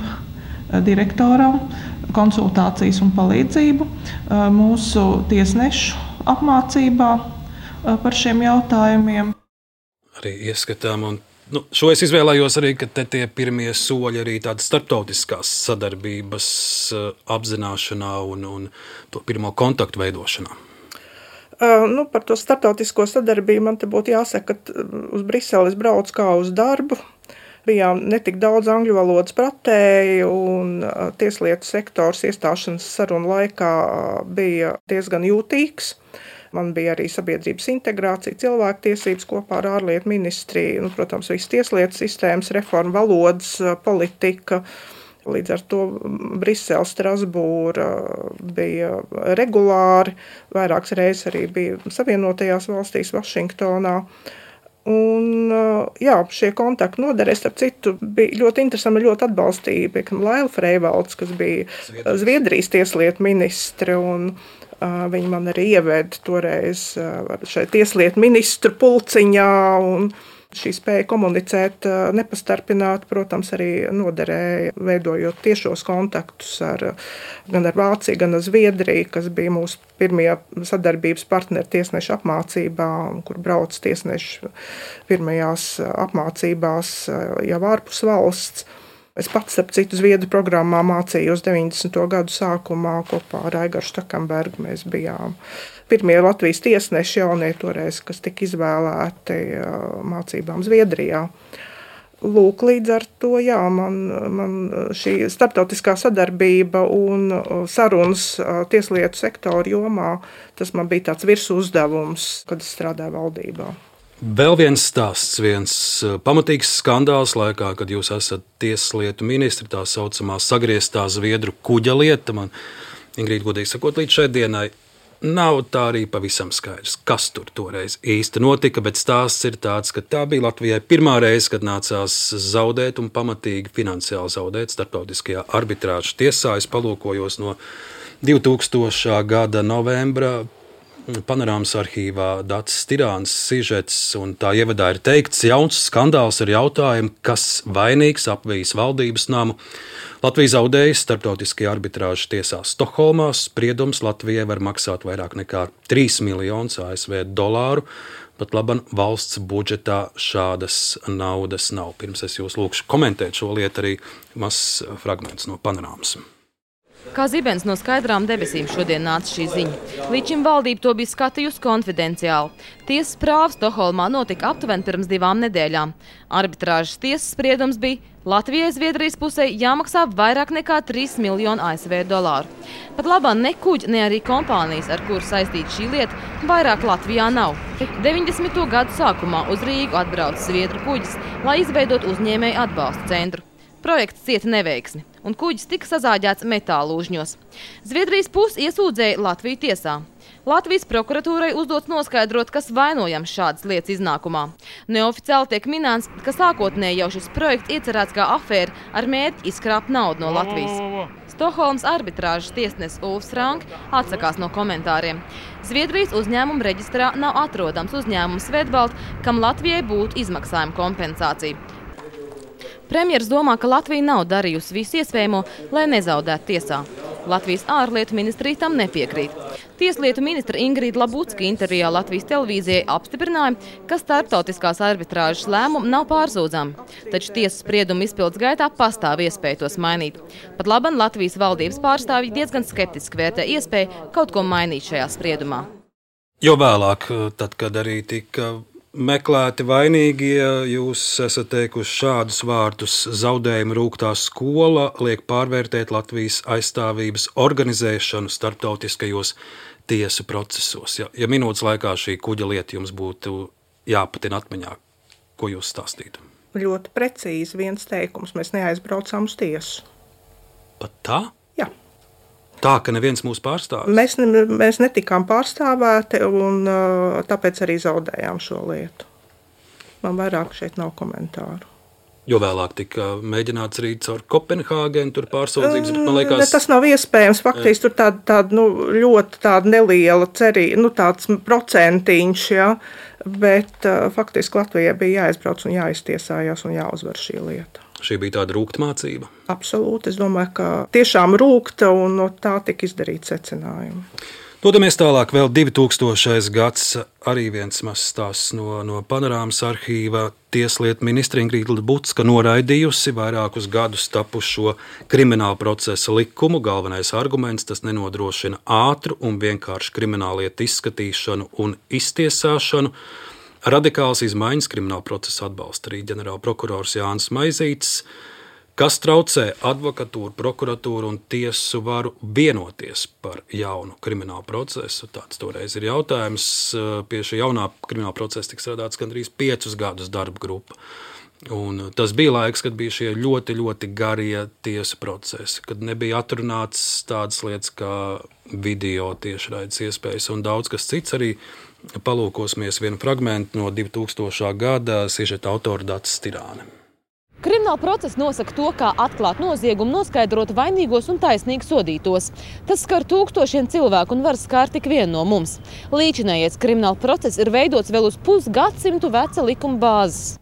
direktoram konsultācijas un palīdzību mūsu tiesnešu apmācībā par šiem jautājumiem. Arī ieskatām, un šo es izvēlējos arī, ka te tie pirmie soļi arī tādas starptautiskās sadarbības apzināšanā un to pirmo kontaktu veidošanā. Par to starptautisko sadarbību man te būtu jāsaka, ka uz Briseles brauc kā uz darbu. Bijām netik daudz angļu valodas pratēji un tieslietu sektors iestāšanas sarunu laikā bija diezgan jūtīgs. Man bija arī sabiedrības integrācija, cilvēktiesības kopā ar ārlietu ministriju, protams, visas tieslietu sistēmas, reforma, valodas, politika. Līdz ar to Brisele, Strasbūra bija regulāri, vairākas reizes arī bija Savienotajās valstīs, Vašingtonā. Un, šie kontakti noderēs, starp citu, bija ļoti interesanti, ļoti atbalstīja, piemēram, Laila Freivalds, kas bija Zviedrijas tieslietu ministre, un viņi man arī ieveda toreiz šai tieslietu ministru pulciņā, un šī spēja komunicēt nepastarpināt, protams, arī noderēja, veidojot tiešos kontaktus gan ar Vāciju, gan ar Zviedriju, kas bija mūsu pirmie sadarbības partneri tiesnešu apmācībā, kur brauc tiesneši pirmajās apmācībās jau ārpus valsts. Es pats, starp citu, Zviedru programmā mācījos 90. gadu sākumā kopā ar Aigaru Štakambergu. Mēs bijām pirmie Latvijas tiesneši jaunie toreiz, kas tika izvēlēti mācībām Zviedrijā. Lūk, līdz ar to, man šī starptautiskā sadarbība un sarunas tieslietu sektoru jomā, tas man bija tāds virsuzdevums, kad es strādāju valdībā. Vēl viens stāsts, viens pamatīgs skandāls laikā, kad jūs esat tieslietu ministri, tā saucamā sagrieztā Zviedru kuģa lieta. Man, Ingrīda, godīgi sakot, līdz šai dienai nav tā arī pavisam skaidrs, kas tur toreiz īsti notika, bet stāsts ir tāds, ka tā bija Latvijai pirmā reize, kad nācās zaudēt un pamatīgi finansiāli zaudēt starptautiskajā arbitrāžu tiesā. Es palūkojos no 2000. gada novembra Panorāmas arhīvā Dācis Stirāns sižets, un tā ievadā ir teikts, jauns skandāls ar jautājumu, kas vainīgs apvijas valdības namu. Latvija zaudējas starptautiskajā arbitrāžu tiesā Stokholmā. Spriedums Latvijai var maksāt vairāk nekā 3 miljonus ASV dolāru. Pat laban valsts budžetā šādas naudas nav. Pirms es jūs lūkšu komentēt šo lietu, arī mazs fragments no Panorāmas. Kā zibens no skaidrām debesīm šodien nāca šī ziņa. Līdz šim valdība to bija skatījusi konfidenciāli. Tiesas prāva Stokholmā notika aptuveni pirms 2 nedēļām. Arbitrāžas tiesas spriedums bija Latvijai Zviedrijas pusē jāmaksā vairāk nekā 3 miljonu ASV dolāru. Pat labā ne kuģi, ne arī kompānijas, ar kuru saistīta šī lieta, vairāk Latvijā nav. 90. gadu sākumā uz Rīgu atbrauca Zviedru kuģis, lai izveidot uzņēmēju atbalsta centru. Projekts cieta neveiksmi, un kuģis tika sazāģēts metāla lūžņos. Zviedrijas puse iesūdzēja Latviju tiesā. Latvijas prokuratūrai uzdots noskaidrot, kas vainojams šādas lietas iznākumā. Neoficiāli tiek minēts, ka sākotnēji jau šis projekts iecerēts kā afēra ar mērķi izkrāpt naudu no Latvijas. Stokholmas arbitrāžas tiesnesis Ulfs Frank atsakās no komentāriem. Zviedrijas uzņēmuma reģistrā nav atrodams uzņēmums Svedbalt, kam Latvijai būtu izmaksājuma kompensācija. Premjers domā, ka Latvija nav darījusi visu iespējamo, lai nezaudētu tiesā. Latvijas ārlietu ministrija tam nepiekrīt. Tieslietu ministra Ingrīda Labucka intervijā Latvijas televīzijai apstiprināja, ka starptautiskās arbitrāžas lēmumi nav pārsūdzami, taču tiesas spriedumu izpildes gaitā pastāv iespēja tos mainīt. Pat laban Latvijas valdības pārstāvji diezgan skeptiski vērtē iespēju kaut ko mainīt šajā spriedumā. Jo vēlāk, tad, kad arī tika meklēti vainīgie, jūs esat teikuši šādus vārdus: zaudējuma rūgtā skola liek pārvērtēt Latvijas aizstāvības organizēšanu starptautiskajos tiesu procesos. Ja minūtes laikā šī kuģa lieta jums būtu jāpatina atmiņā, ko jūs stāstītu? Ļoti precīzi viens teikums. Mēs neaizbraucām uz tiesu. Pat tā? Jā. Tā, ka neviens mūs pārstāvis? Mēs netikām pārstāvēti, un tāpēc arī zaudējām šo lietu. Man vairāk šeit nav komentāru. Jo vēlāk tika mēģināts arī caur Kopenhāgenu tur pārsūdzības, bet man liekas... Ne, tas nav iespējams. Faktiski tur tāda ļoti tāda neliela cerība, tāds procentiņš, ja, bet faktiski Latvijai bija jāizbrauc un jāiztiesājās un jāuzvar šī lieta. Šī bija tāda rūkta mācība? Absolūti. Es domāju, ka tiešām rūkta un no tā tika izdarīt secinājumi. Dodamies tālāk, vēl 2000. gads, arī viens mazs stāsts no Panorāmas arhīva. Tieslietu ministre Ingrīda Lebudska noraidījusi vairākus gadus tapušo krimināla procesa likumu. Galvenais arguments – tas nenodrošina ātru un vienkāršu krimināllietu izskatīšanu un iztiesāšanu. Radikāls izmaiņas krimināla procesa atbalsta arī ģenerālprokurors Jānis Maizītis. Kas traucē advokatūru, prokuratūru un tiesu varu vienoties par jaunu kriminālu procesu? Tāds toreiz ir jautājums. Pie šī jaunā krimināla procesa tika strādāts gandrīz 5 gadus darba grupa. Un tas bija laiks, kad bija šie ļoti, ļoti garie tiesu procesi, kad nebija atrunāts tādas lietas kā video tiešraides iespējas un daudz kas cits. Arī palūkosimies vienu fragmentu no 2000. gada sižeta autora Dacis Stirāne. Krimināla process nosaka to, kā atklāt noziegumu, noskaidrot vainīgos un taisnīgi sodītos. Tas skar tūkstošiem cilvēku un var skart tik vienu no mums. Līdzinājais krimināla process ir veidots vēl uz pusgadsimtu veca likuma bāzes.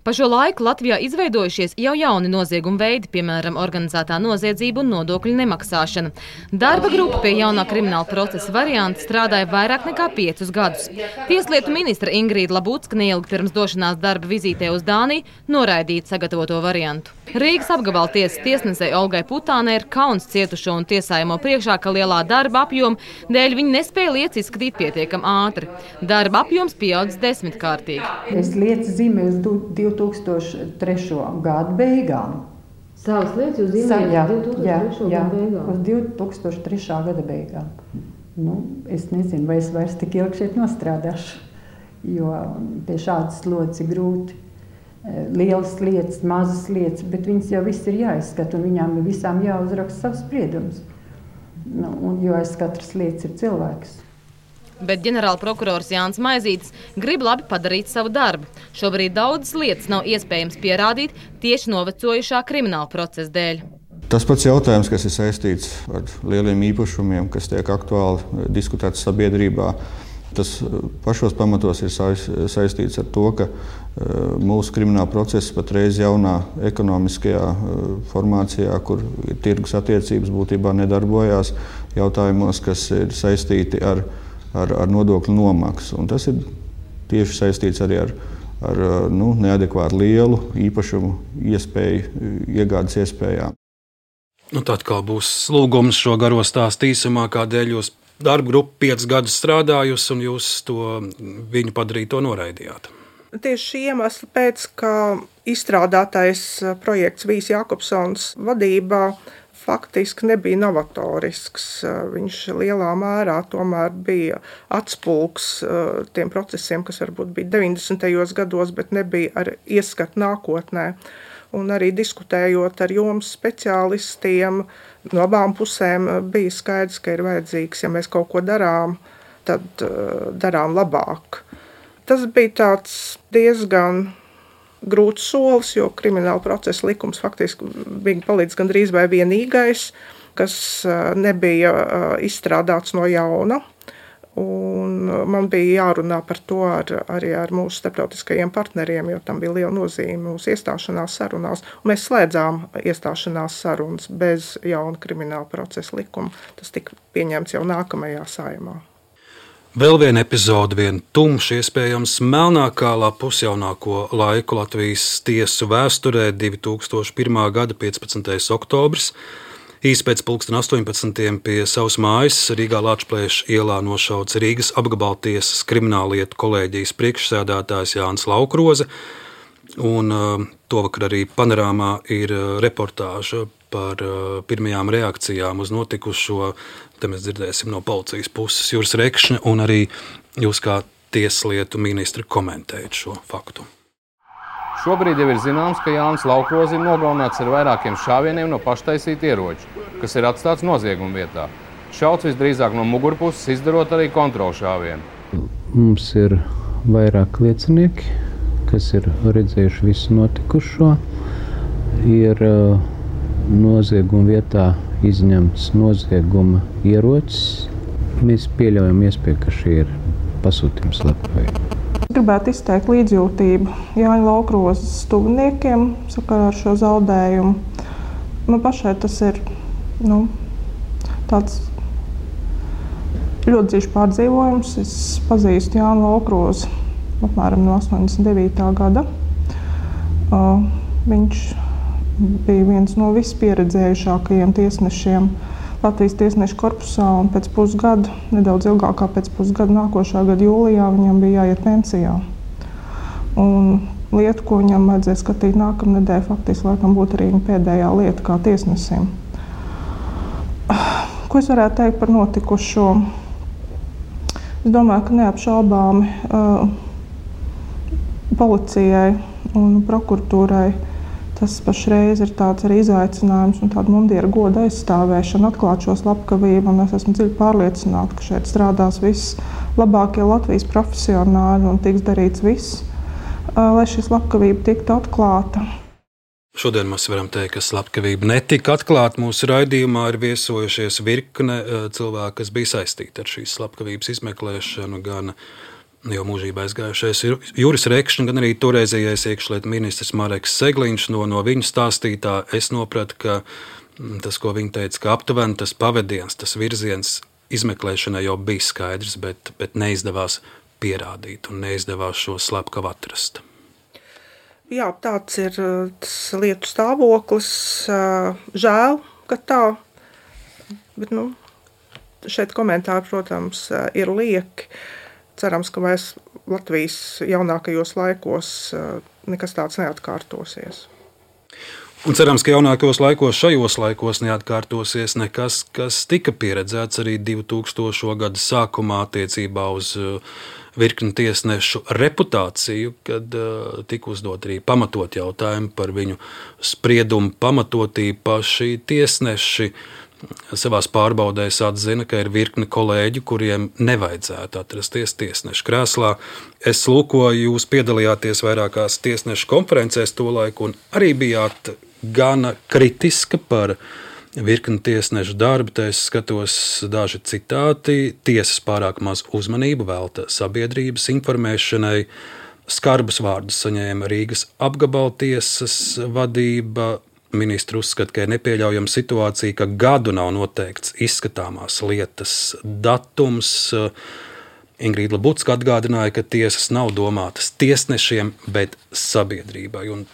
Pa šo laiku Latvijā izveidojušies jau jauni nozieguma veidi, piemēram, organizētā noziedzība un nodokļu nemaksāšana. Darba grupa pie jaunā krimināla procesa varianta strādāja vairāk nekā 5 gadus. Tieslietu ministra Ingrīda Lebudska neilgi pirms došanās darba vizītē uz Dāniju noraidīja sagatavoto variantu. Rīgas apgabala tiesas tiesnesei Olgai Putānai ir kauns cietušo un tiesājamo priekšā, ka lielā darba apjoma dēļ viņi nespēja lietas izskatīt pietiekam ātri. Darba apjoms pieaudzis 10-kārtīgi. Es lietas zīmēju uz 2003. gadu beigām. Savas lietas jūs zīmējat 2003. Jā, gada beigām? Uz 2003. gada beigām. Es nezinu, vai es vairs tik ilgi šeit nostrādāšu, jo pie šādas slodzes ir grūti. Lielas lietas, mazas lietas, bet viņas jau viss ir jāizskata un viņām ir visām jāuzraksta savs spriedums. Jo aiz katras lietas ir cilvēks. Bet ģenerālprokurors Jānis Maizītis grib labi padarīt savu darbu. Šobrīd daudzas lietas nav iespējams pierādīt tieši novecojušā krimināla procesa dēļ. Tas pats jautājums, kas ir saistīts ar lieliem īpašumiem, kas tiek aktuāli diskutēts sabiedrībā, tas pašos pamatos ir saistīts ar to, ka mūsu krimināla process patreiz jaunā ekonomiskajā formācijā, kur tirgus attiecības būtībā nedarbojās, jautājumos, kas ir saistīti ar nodokļu nomaksu. Un tas ir tieši saistīts arī ar neadekvāti lielu īpašumu iegādes iespējām. Tad kā būs lūgums šo garo stāstu īsumā, kādēļ jūs darba grupu 5 gadus strādājusi un jūs viņu padarīto noraidījāt? Tieši šī iemesla pēc, ka izstrādātais projekts Vīs Jākopsons vadībā faktiski nebija novatorisks. Viņš lielā mērā tomēr bija atspulgs tiem procesiem, kas varbūt bija 90. gados, bet nebija ar ieskatu nākotnē. Un arī diskutējot ar jomas speciālistiem, no abām pusēm bija skaidrs, ka ir vajadzīgs, ja mēs kaut ko darām, tad darām labāk. Tas bija tāds diezgan grūts solis, jo krimināla procesa likums faktiski bija palīdz gandrīz vai vienīgais, kas nebija izstrādāts no jauna. Un man bija jārunā par to arī ar mūsu starptautiskajiem partneriem, jo tam bija liela nozīme mūsu iestāšanās sarunās. Un mēs slēdzām iestāšanās sarunas bez jauna krimināla procesa likuma. Tas tika pieņemts jau nākamajā Saeimā. Vēl viena epizode, viena tumša, iespējams melnākā pusjaunāko laiku Latvijas tiesu vēsturē, 2001. gada 15. oktobris. Īsi pēc 18. pie savas mājas Rīgā Lāčplēša ielā nošauts Rīgas apgabaltiesas krimināllietu kolēģijas priekšsēdētājs Jānis Laukroze. Un tovakar arī Panorāmā ir reportāža par pirmajām reakcijām uz notikušo. Te mēs dzirdēsim no policijas puses Juris Rekšņa un arī jūs kā tieslietu ministri komentējat šo faktu. Šobrīd jau ir zināms, ka Jānis Laukroze ir nogalināts ar vairākiem šāvieniem no paštaisīta ieroča, kas ir atstāts nozieguma vietā. Šauts visdrīzāk no mugurpuses, izdarot arī kontrolu šāvienu. Mums ir vairāk liecinieki, kas ir redzējuši visu notikušo. Ir nozieguma vietā izņemts nozieguma ierocis. Mēs pieļaujam iespēju, ka šī ir pasūtījums slepkavība. Gribētu izteikt līdzjūtību Jāņa Laukrozes tuviniekiem sakarā ar šo zaudējumu. Man pašai tas ir tāds ļoti dziļš pārdzīvojums. Es pazīstu Jānu Laukrozi apmēram no 89. gada. Viņš bija viens no vispieredzējušākajiem tiesnešiem Latvijas tiesnešu korpusā, un pēc pusgada, nedaudz ilgāk kā pēc pusgada, nākošā gada jūlijā viņam bija jāiet pensijā. Un lieta, ko viņam vajadzēja skatīt nākamnedēļ, faktiski laikam būtu arī viņa pēdējā lieta kā tiesnesim. Ko es varētu teikt par notikušo? Es domāju, ka neapšaubāmi policijai un prokuratūrai tas pašreiz ir tāds arī izaicinājums un tāda mundiera goda aizstāvēšana, atklāt šo slepkavību, un es esmu dziļi pārliecināta, ka šeit strādās vislabākie Latvijas profesionāļi un tiks darīts viss, lai šī slepkavība tiktu atklāta. Šodien mēs varam teikt, ka slepkavība netika atklāta. Mūsu raidījumā ir viesojušies virkne cilvēki, kas bija saistīti ar šīs slepkavības izmeklēšanu, gan jau mūžībā aizgājušais Juris Rekšņs, gan arī toreizējais iekšlietu ministrs Mareks Segliņš. No viņa stāstītā es nopratu, ka tas, ko viņa teica, ka aptuveni tas pavadiens, tas virziens izmeklēšanai jau bija skaidrs, bet neizdevās pierādīt un neizdevās šo slepkavu atrast. Jā, tāds ir tas lietu stāvoklis. Žēl, ka tā, bet šeit komentāri, protams, ir lieki. Cerams, ka vairs Latvijas jaunākajos laikos nekas tāds neatkārtosies. Un cerams, ka jaunākajos laikos, šajos laikos neatkārtosies nekas, kas tika pieredzēts arī 2000. Gada sākumā attiecībā uz virkni tiesnešu reputāciju, kad tika uzdot arī pamatot jautājumu par viņu spriedumu pamatotību. Paši tiesneši savās pārbaudēs atzina, ka ir virkni kolēģi, kuriem nevajadzētu atrasties tiesnešu krēslā. Es lūkoju, jūs piedalījāties vairākās tiesnešu konferencēs tolaik un arī bijāt gana kritiska par virkni tiesnešu darbu. Te es skatos daži citāti. Tiesas pārāk maz uzmanību velta sabiedrības informēšanai. Skarbus vārdus saņēma Rīgas apgabaltiesas vadība. Ministri uzskata, ka ir nepieļaujama situācija, ka gadu nav noteikts izskatāmās lietas datums. Ingrīda Labucka atgādināja, ka tiesas nav domātas tiesnešiem, bet sabiedrībai. Un,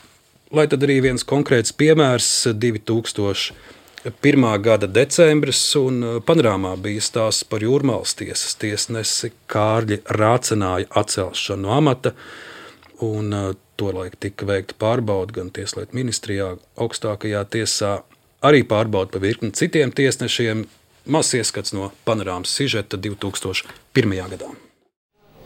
lai tad arī viens konkrēts piemērs, 2001. Gada decembris, un panorāmā bija stāsts par Jūrmalas tiesas tiesnesi Kārļi Rācenāja atcelšanu no amata, un tolaik tika veikta pārbauda gan Tieslietu ministrijā, augstākajā tiesā, arī pārbauda par virkni citiem tiesnešiem. Mazs ieskats no panorāmas sižeta 2001. gadā.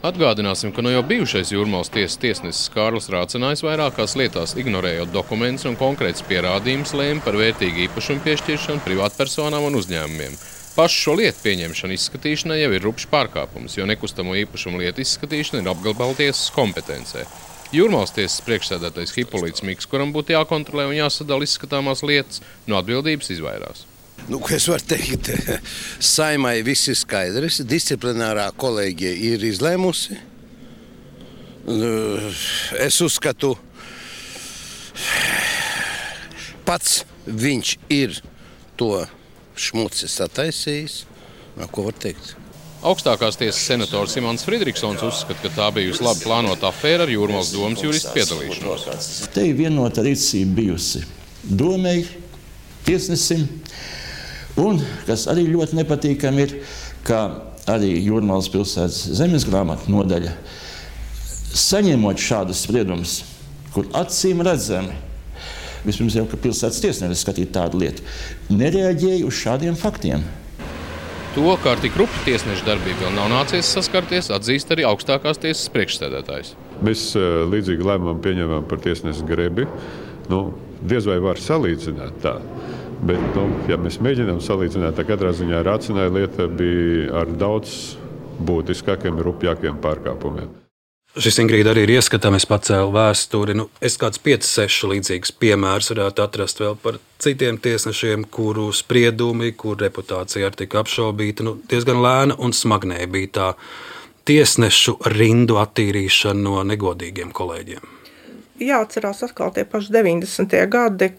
Atgādināsim, ka jau bijušais Jūrmalas tiesas tiesnesis Kārlis Rācenājs vairākās lietās, ignorējot dokumentus un konkrētus pierādījumus, lēma par vērtīgu īpašumu piešķiršanu privātpersonām un uzņēmumiem. Pašu šo lietu pieņemšana izskatīšanai jau ir rupšs pārkāpums, jo nekustamo īpašumu lietu izskatīšana ir apgabaltiesas kompetencē. Jūrmalas tiesas priekšsēdētājs Hipolīts Miks, kuram būtu jākontrolē un jāsadala izskatāmās lietas, no atbildības izvairās. Ko es varu teikt? Saimai viss ir skaidrs, disciplinārā kolēģija ir izlēmusi. Es uzskatu, pats viņš ir to šmucis attaisījis. Ko var teikt? Augstākās tiesas senators Imants Fridriksons uzskata, ka tā bijusi labi plānota afēra ar Jūrmalas domas juristu piedalīšanos. Te ir vienota rīcība bijusi domei, tiesnesim, un, kas arī ļoti nepatīkami ir, ka arī Jūrmalas pilsētas zemes grāmatu nodaļa, saņemot šādus spriedumus, kur acīm redzami, vispirms jau, ka pilsētas tiesneris skatīt tādu lietu, nereaģēja uz šādiem faktiem. To, kā ar tik rupju tiesnešu darbību vēl nav nācies saskarties, atzīst arī augstākās tiesas priekšsēdētājs. Mēs līdzīgi lēmumu pieņemam par tiesnesi Grebi. Diez vai var salīdzināt tā. Bet, ja mēs mēģinām salīdzināt, tad katrā ziņā Rācinai lieta bija ar daudz būtiskākiem, rupjākiem pārkāpumiem. Šis, Ingrīda, arī ir ieskatāms, pacēlu vēsturi. Es kāds 5-6 līdzīgus piemērus varētu atrast vēl par citiem tiesnešiem, kuru spriedumi, kur reputācija arī tika apšaubīta. Diezgan lēna un smagnēja bija tā tiesnešu rindu attīrīšana no negodīgiem kolēģiem. Jāatcerās atkal tie paši 90. gadi,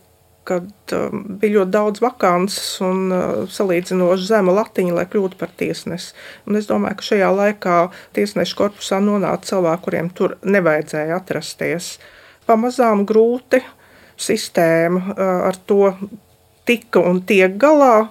kad bija ļoti daudz vakances un salīdzinoši zema latiņa, lai kļūtu par tiesnesi. Un es domāju, ka šajā laikā tiesnešu korpusā nonāca cilvēki, kuriem tur nevajadzēja atrasties. Pamazām grūti sistēma ar to tika un tiek galā.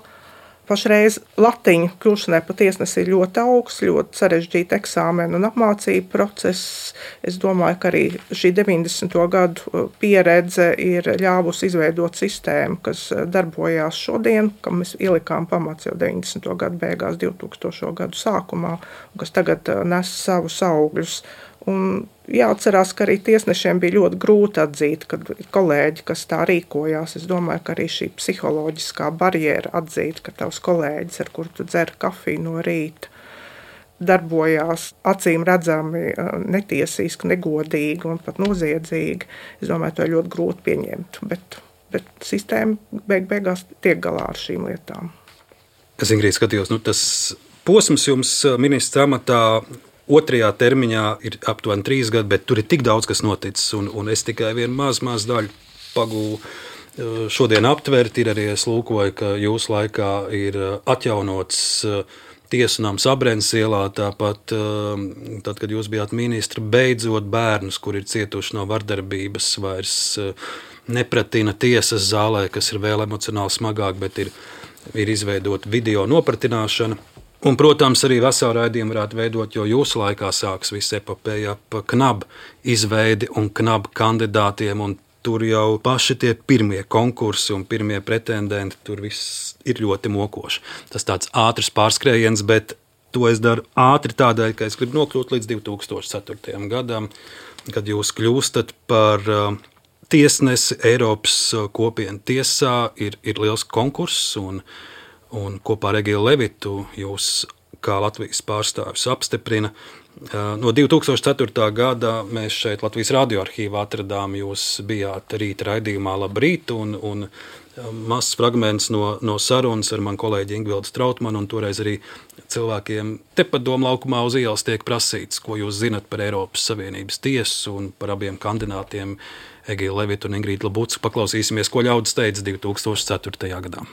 Pašreiz latiņa kļūšanai par tiesnesi ir ļoti augsts, ļoti sarežģīta eksāmena un apmācība process. Es domāju, ka arī šī 90. gadu pieredze ir ļāvusi izveidot sistēmu, kas darbojās šodien, kam mēs ielikām pamats jau 90. gadu beigās, 2000. gadu sākumā, un kas tagad nes savus augļus. Un jāatcerās, ka arī tiesnešiem bija ļoti grūti atzīt, kad kolēģi, kas tā rīkojās. Es domāju, ka arī šī psiholoģiskā barjera atzīt, ka tavs kolēģis, ar kuru tu dzer kafiju no rīta, darbojās acīm redzami netiesiski, negodīgi un pat noziedzīgi. Es domāju, to ir ļoti grūti pieņemt, bet sistēma beigās tiek galā ar šīm lietām. Es, Ingrīda, skatījos, tas posms jums ministra amatā 2. termiņā ir aptuveni 3 gadi, bet tur ir tik daudz, kas noticis, un es tikai vienu mazu daļu pagūvu šodien aptvert. Ir arī es lūkoju, ka jūsu laikā ir atjaunots tiesunams Abrēnas ielā, tāpat, tad, kad jūs bijāt ministri, beidzot bērnus, kur ir cietuši no vardarbības, vairs nepratina tiesas zālē, kas ir vēl emocionāli smagāk, bet ir izveidot video nopratināšana. Un, protams, arī veselu raidījumu varētu veidot, jo jūsu laikā sāks viss epopēja ap KNAB izveidi un KNAB kandidātiem, un tur jau paši tie pirmie konkursi un pirmie pretendenti, tur viss ir ļoti mokoši. Tas tāds ātrs pārskrējiens, bet to es daru ātri tādēļ, ka es gribu nokļūt līdz 2004. gadam, kad jūs kļūstat par tiesnesi Eiropas kopienu tiesā, ir liels konkurss, un kopā ar Egilu Levitu jūs kā Latvijas pārstāvis apstiprina. No 2004. gada mēs šeit Latvijas radioarkīvā atradām, jūs bijāt rīta raidījumā Labrīt, un mazs fragments no sarunas ar manu kolēģi Ingvildu Strautmanu, un toreiz arī cilvēkiem tepat Doma laukumā uz ielas tiek prasīts, ko jūs zinat par Eiropas Savienības tiesu un par abiem kandidātiem Egilu Levitu un Ingrīdu Labucku. Paklausīsimies, ko ļaudis teica 2004. gadā.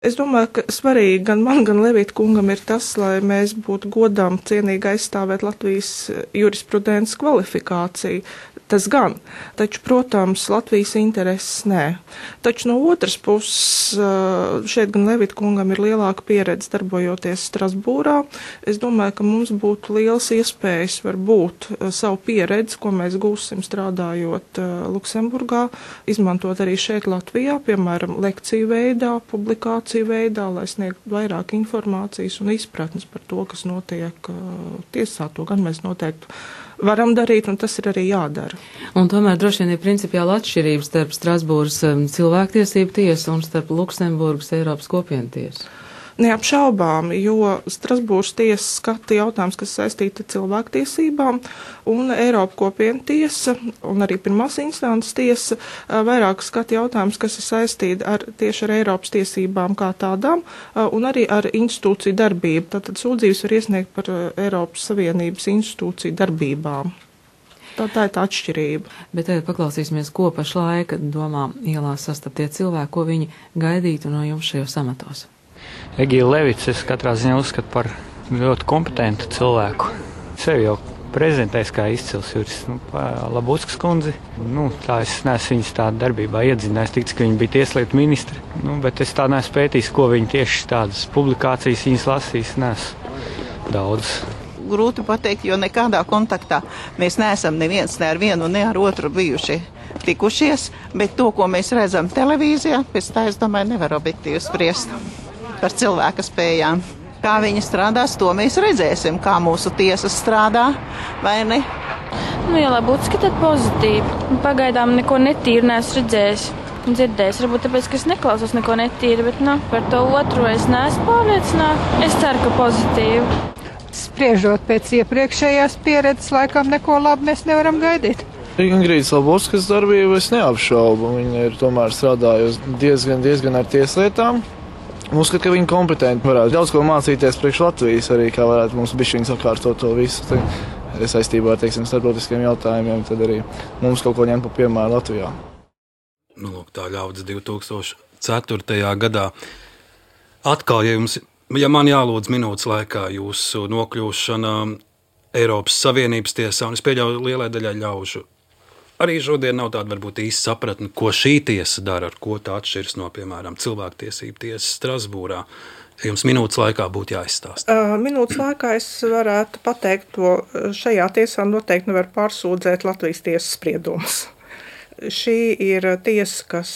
Es domāju, ka svarīgi gan man, gan Levita kungam ir tas, lai mēs būtu godām cienīgi aizstāvēt Latvijas jurisprudences kvalifikāciju. Tas gan, taču, protams, Latvijas intereses nē. Taču no otras puses, šeit gan Levita kungam ir lielāka pieredze darbojoties Strasbūrā. Es domāju, ka mums būtu liels iespējas varbūt savu pieredzi, ko mēs gūsim strādājot Luksemburgā, izmantot arī šeit Latvijā, piemēram, lekciju veidā, publikāciju veidā, lai sniegtu vairāk informācijas un izpratnes par to, kas notiek tiesā. To gan mēs noteikti varam darīt, un tas ir arī jādara. Un tomēr droši vien ir principiāla atšķirība starp Strasbūras cilvēktiesību tiesu un starp Luksemburgas Eiropas kopienu tiesu. Neapšaubām, jo Strasbūras tiesa skata jautājums, kas saistīti ar cilvēktiesībām, un Eiropas kopienu tiesa un arī pirmās instances tiesa vairāk skata jautājums, kas ir saistīti tieši ar Eiropas tiesībām kā tādām, un arī ar institūciju darbību. Tātad sūdzības var iesniegt par Eiropas Savienības institūciju darbībām. Tā ir tā atšķirība. Bet tagad paklausīsimies, ko pašlaik Domā ielās sastaptie cilvēki, ko viņi gaidītu no jums šajos amatos. Egīla Levits es katrā ziņā uzskatu par ļoti kompetentu cilvēku. Sevi jau prezentēs kā izcils jurists. Labuckas kundzi, tā es neesmu viņas tādu darbībā iedzinājis, tiks, ka viņa bija tieslietu ministri. Bet es tā neesmu pētījis, ko viņa tieši tādas publikācijas viņas lasīs, neesmu daudz. Grūti pateikt, jo nekādā kontaktā mēs neesam neviens ne ar vienu, ne ar otru bijuši tikušies, bet to, ko mēs redzam televīzijā, pēc tā, es domāju, nevar objektīvi spriest par cilvēka spējām. Kā viņi strādās, to mēs redzēsim, kā mūsu tiesas strādā, vai ne? Ja Labutski, tad pozitīvi. Pagaidām neko netīru neesmu redzējis. Dzirdējis, varbūt tāpēc, ka es neklausos neko netīru, bet par to otru es neesmu pārliecināta. Es ceru, ka pozitīvi. Spriežot pēc iepriekšējās pieredzes, laikam neko labu mēs nevaram gaidīt. Ingrīdas Labutskas darbību es neapšaubu. Viņa ir tomēr strādājusi diezgan ar tieslietām. Uzskatu, ka viņa kompetenti varētu daudz ko mācīties priekš Latvijas arī, kā varētu mums bišķiņ sakārtot to visu. Saistībā ar, starptautiskiem jautājumiem, tad arī mums kaut ko ņemt pa piemēru Latvijā. Lūk, tā ļaudis 2004. gadā. Atkal, ja man jālūdz minūtes laikā jūsu nokļūšana Eiropas Savienības tiesā, un es pieļauju lielai daļai ļaužu, arī šodien nav tāda varbūt īsta sapratne, ko šī tiesa dara, ar ko tā atšķiras no, piemēram, cilvēktiesību tiesas Strasbūrā. Ja jums minūtes laikā būtu jāizstāsta. Minūtes laikā es varētu pateikt to, šajā tiesā noteikti nevar pārsūdzēt Latvijas tiesas spriedumus. Šī ir tiesa, kas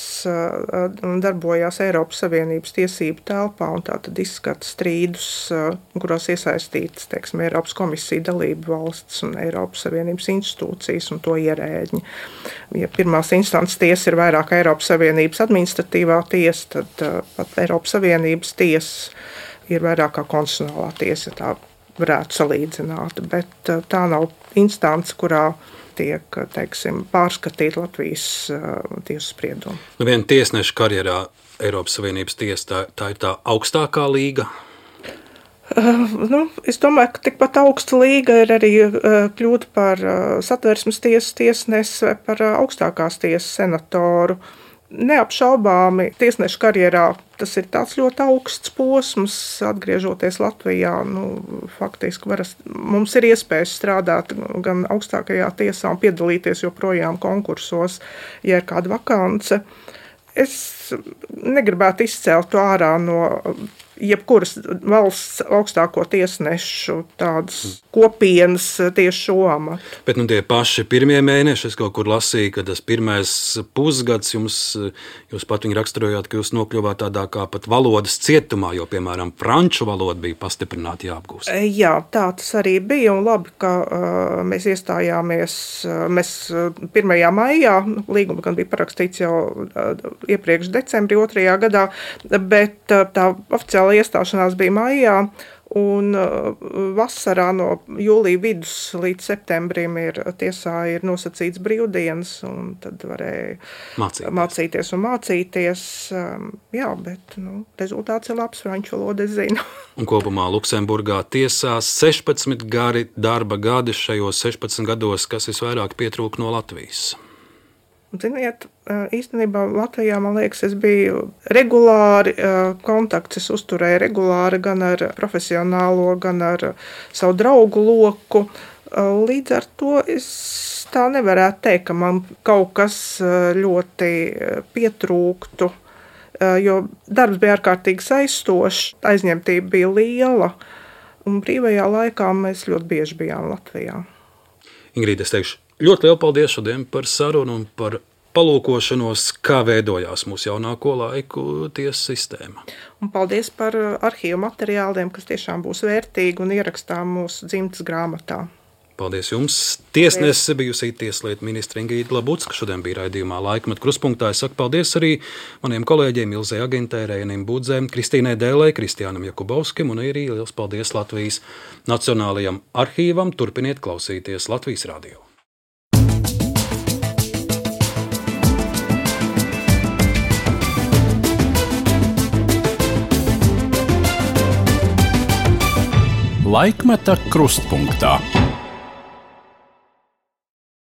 darbojās Eiropas Savienības tiesību telpā un tātad izskata strīdus, kurās iesaistītas, Eiropas komisija, dalību valsts un Eiropas Savienības institūcijas un to ierēģi. Ja pirmās instances tiesa ir vairāk Eiropas Savienības administratīvā tiesa, tad pat Eiropas Savienības tiesa ir vairāk kā konstitucionālā tiesa, tā varētu salīdzināt, bet tā nav instance, kurā tiek, pārskatīt Latvijas tiesu spriedumu. Viena tiesneša karjerā Eiropas Savienības tiesa, tā ir tā augstākā līga? Es domāju, ka tikpat augsta līga ir arī kļūt par Satversmes tiesas tiesnesi vai par augstākās tiesas senatoru. Neapšaubāmi tiesneša karjerā tas ir tāds ļoti augsts posms, atgriežoties Latvijā. Faktiski mums ir iespējas strādāt gan augstākajā tiesā un piedalīties joprojām konkursos, ja ir kāda vakance. Es negribētu izcelt to ārā no jebkuras valsts augstāko tiesnešu tādas kopienas tieši šo amatu. Bet tie paši pirmie mēneši, es kaut kur lasīju, ka tas pirmais pusgads jūs pat viņu raksturojāt, ka jūs nokļuvāt tādā kā pat valodas cietumā, jo, piemēram, franču valoda bija pastiprināti jāapgūst. Jā, tā tas arī bija, un labi, ka mēs iestājāmies, 1. maijā, līguma gan bija parakstīts jau iepriekš decembrī 2. gadā, bet tā oficiāli iestāšanās bija maijā, un vasarā no jūlija vidus līdz septembrim tiesā ir nosacīts brīvdienas, un tad varēja mācīties. Jā, bet rezultāts ir labs, franču valodu es zinu. Un kopumā Luksemburgā tiesās 16 gari darba gadi šajos 16 gados, kas visvairāk pietrūka no Latvijas. Ziniet, īstenībā Latvijā, man liekas, es biju regulāri kontakts, es uzturēju regulāri gan ar profesionālo, gan ar savu draugu loku. Līdz ar to es tā nevarētu teikt, ka man kaut kas ļoti pietrūktu, jo darbs bija ārkārtīgi saistošs, aizņemtība bija liela, un brīvajā laikā mēs ļoti bieži bijām Latvijā. Ingrīda, es teikšu, ļoti lielu paldies šodien par sarunu un par palūkošanos, kā veidojās mūsu jaunāko laiku tiesas sistēma. Un paldies par arhīvu materiāliem, kas tiešām būs vērtīgi un ierakstām mūsu dzimtas grāmatā. Paldies jums. Tiesnese bijusī tieslietu ministra Ingrīda Labutska šodien bija raidījumā Laikmeta kruspunktā. Es saku paldies arī maniem kolēģiem Ilzei Agintei, Reinim Budzēm, Kristīnai Dēlei, Kristiānam Jakubovskim un arī liels paldies Latvijas Nacionālajam arhīvam. Turpiniet klausīties Latvijas radio. Laikmeta krustpunktā.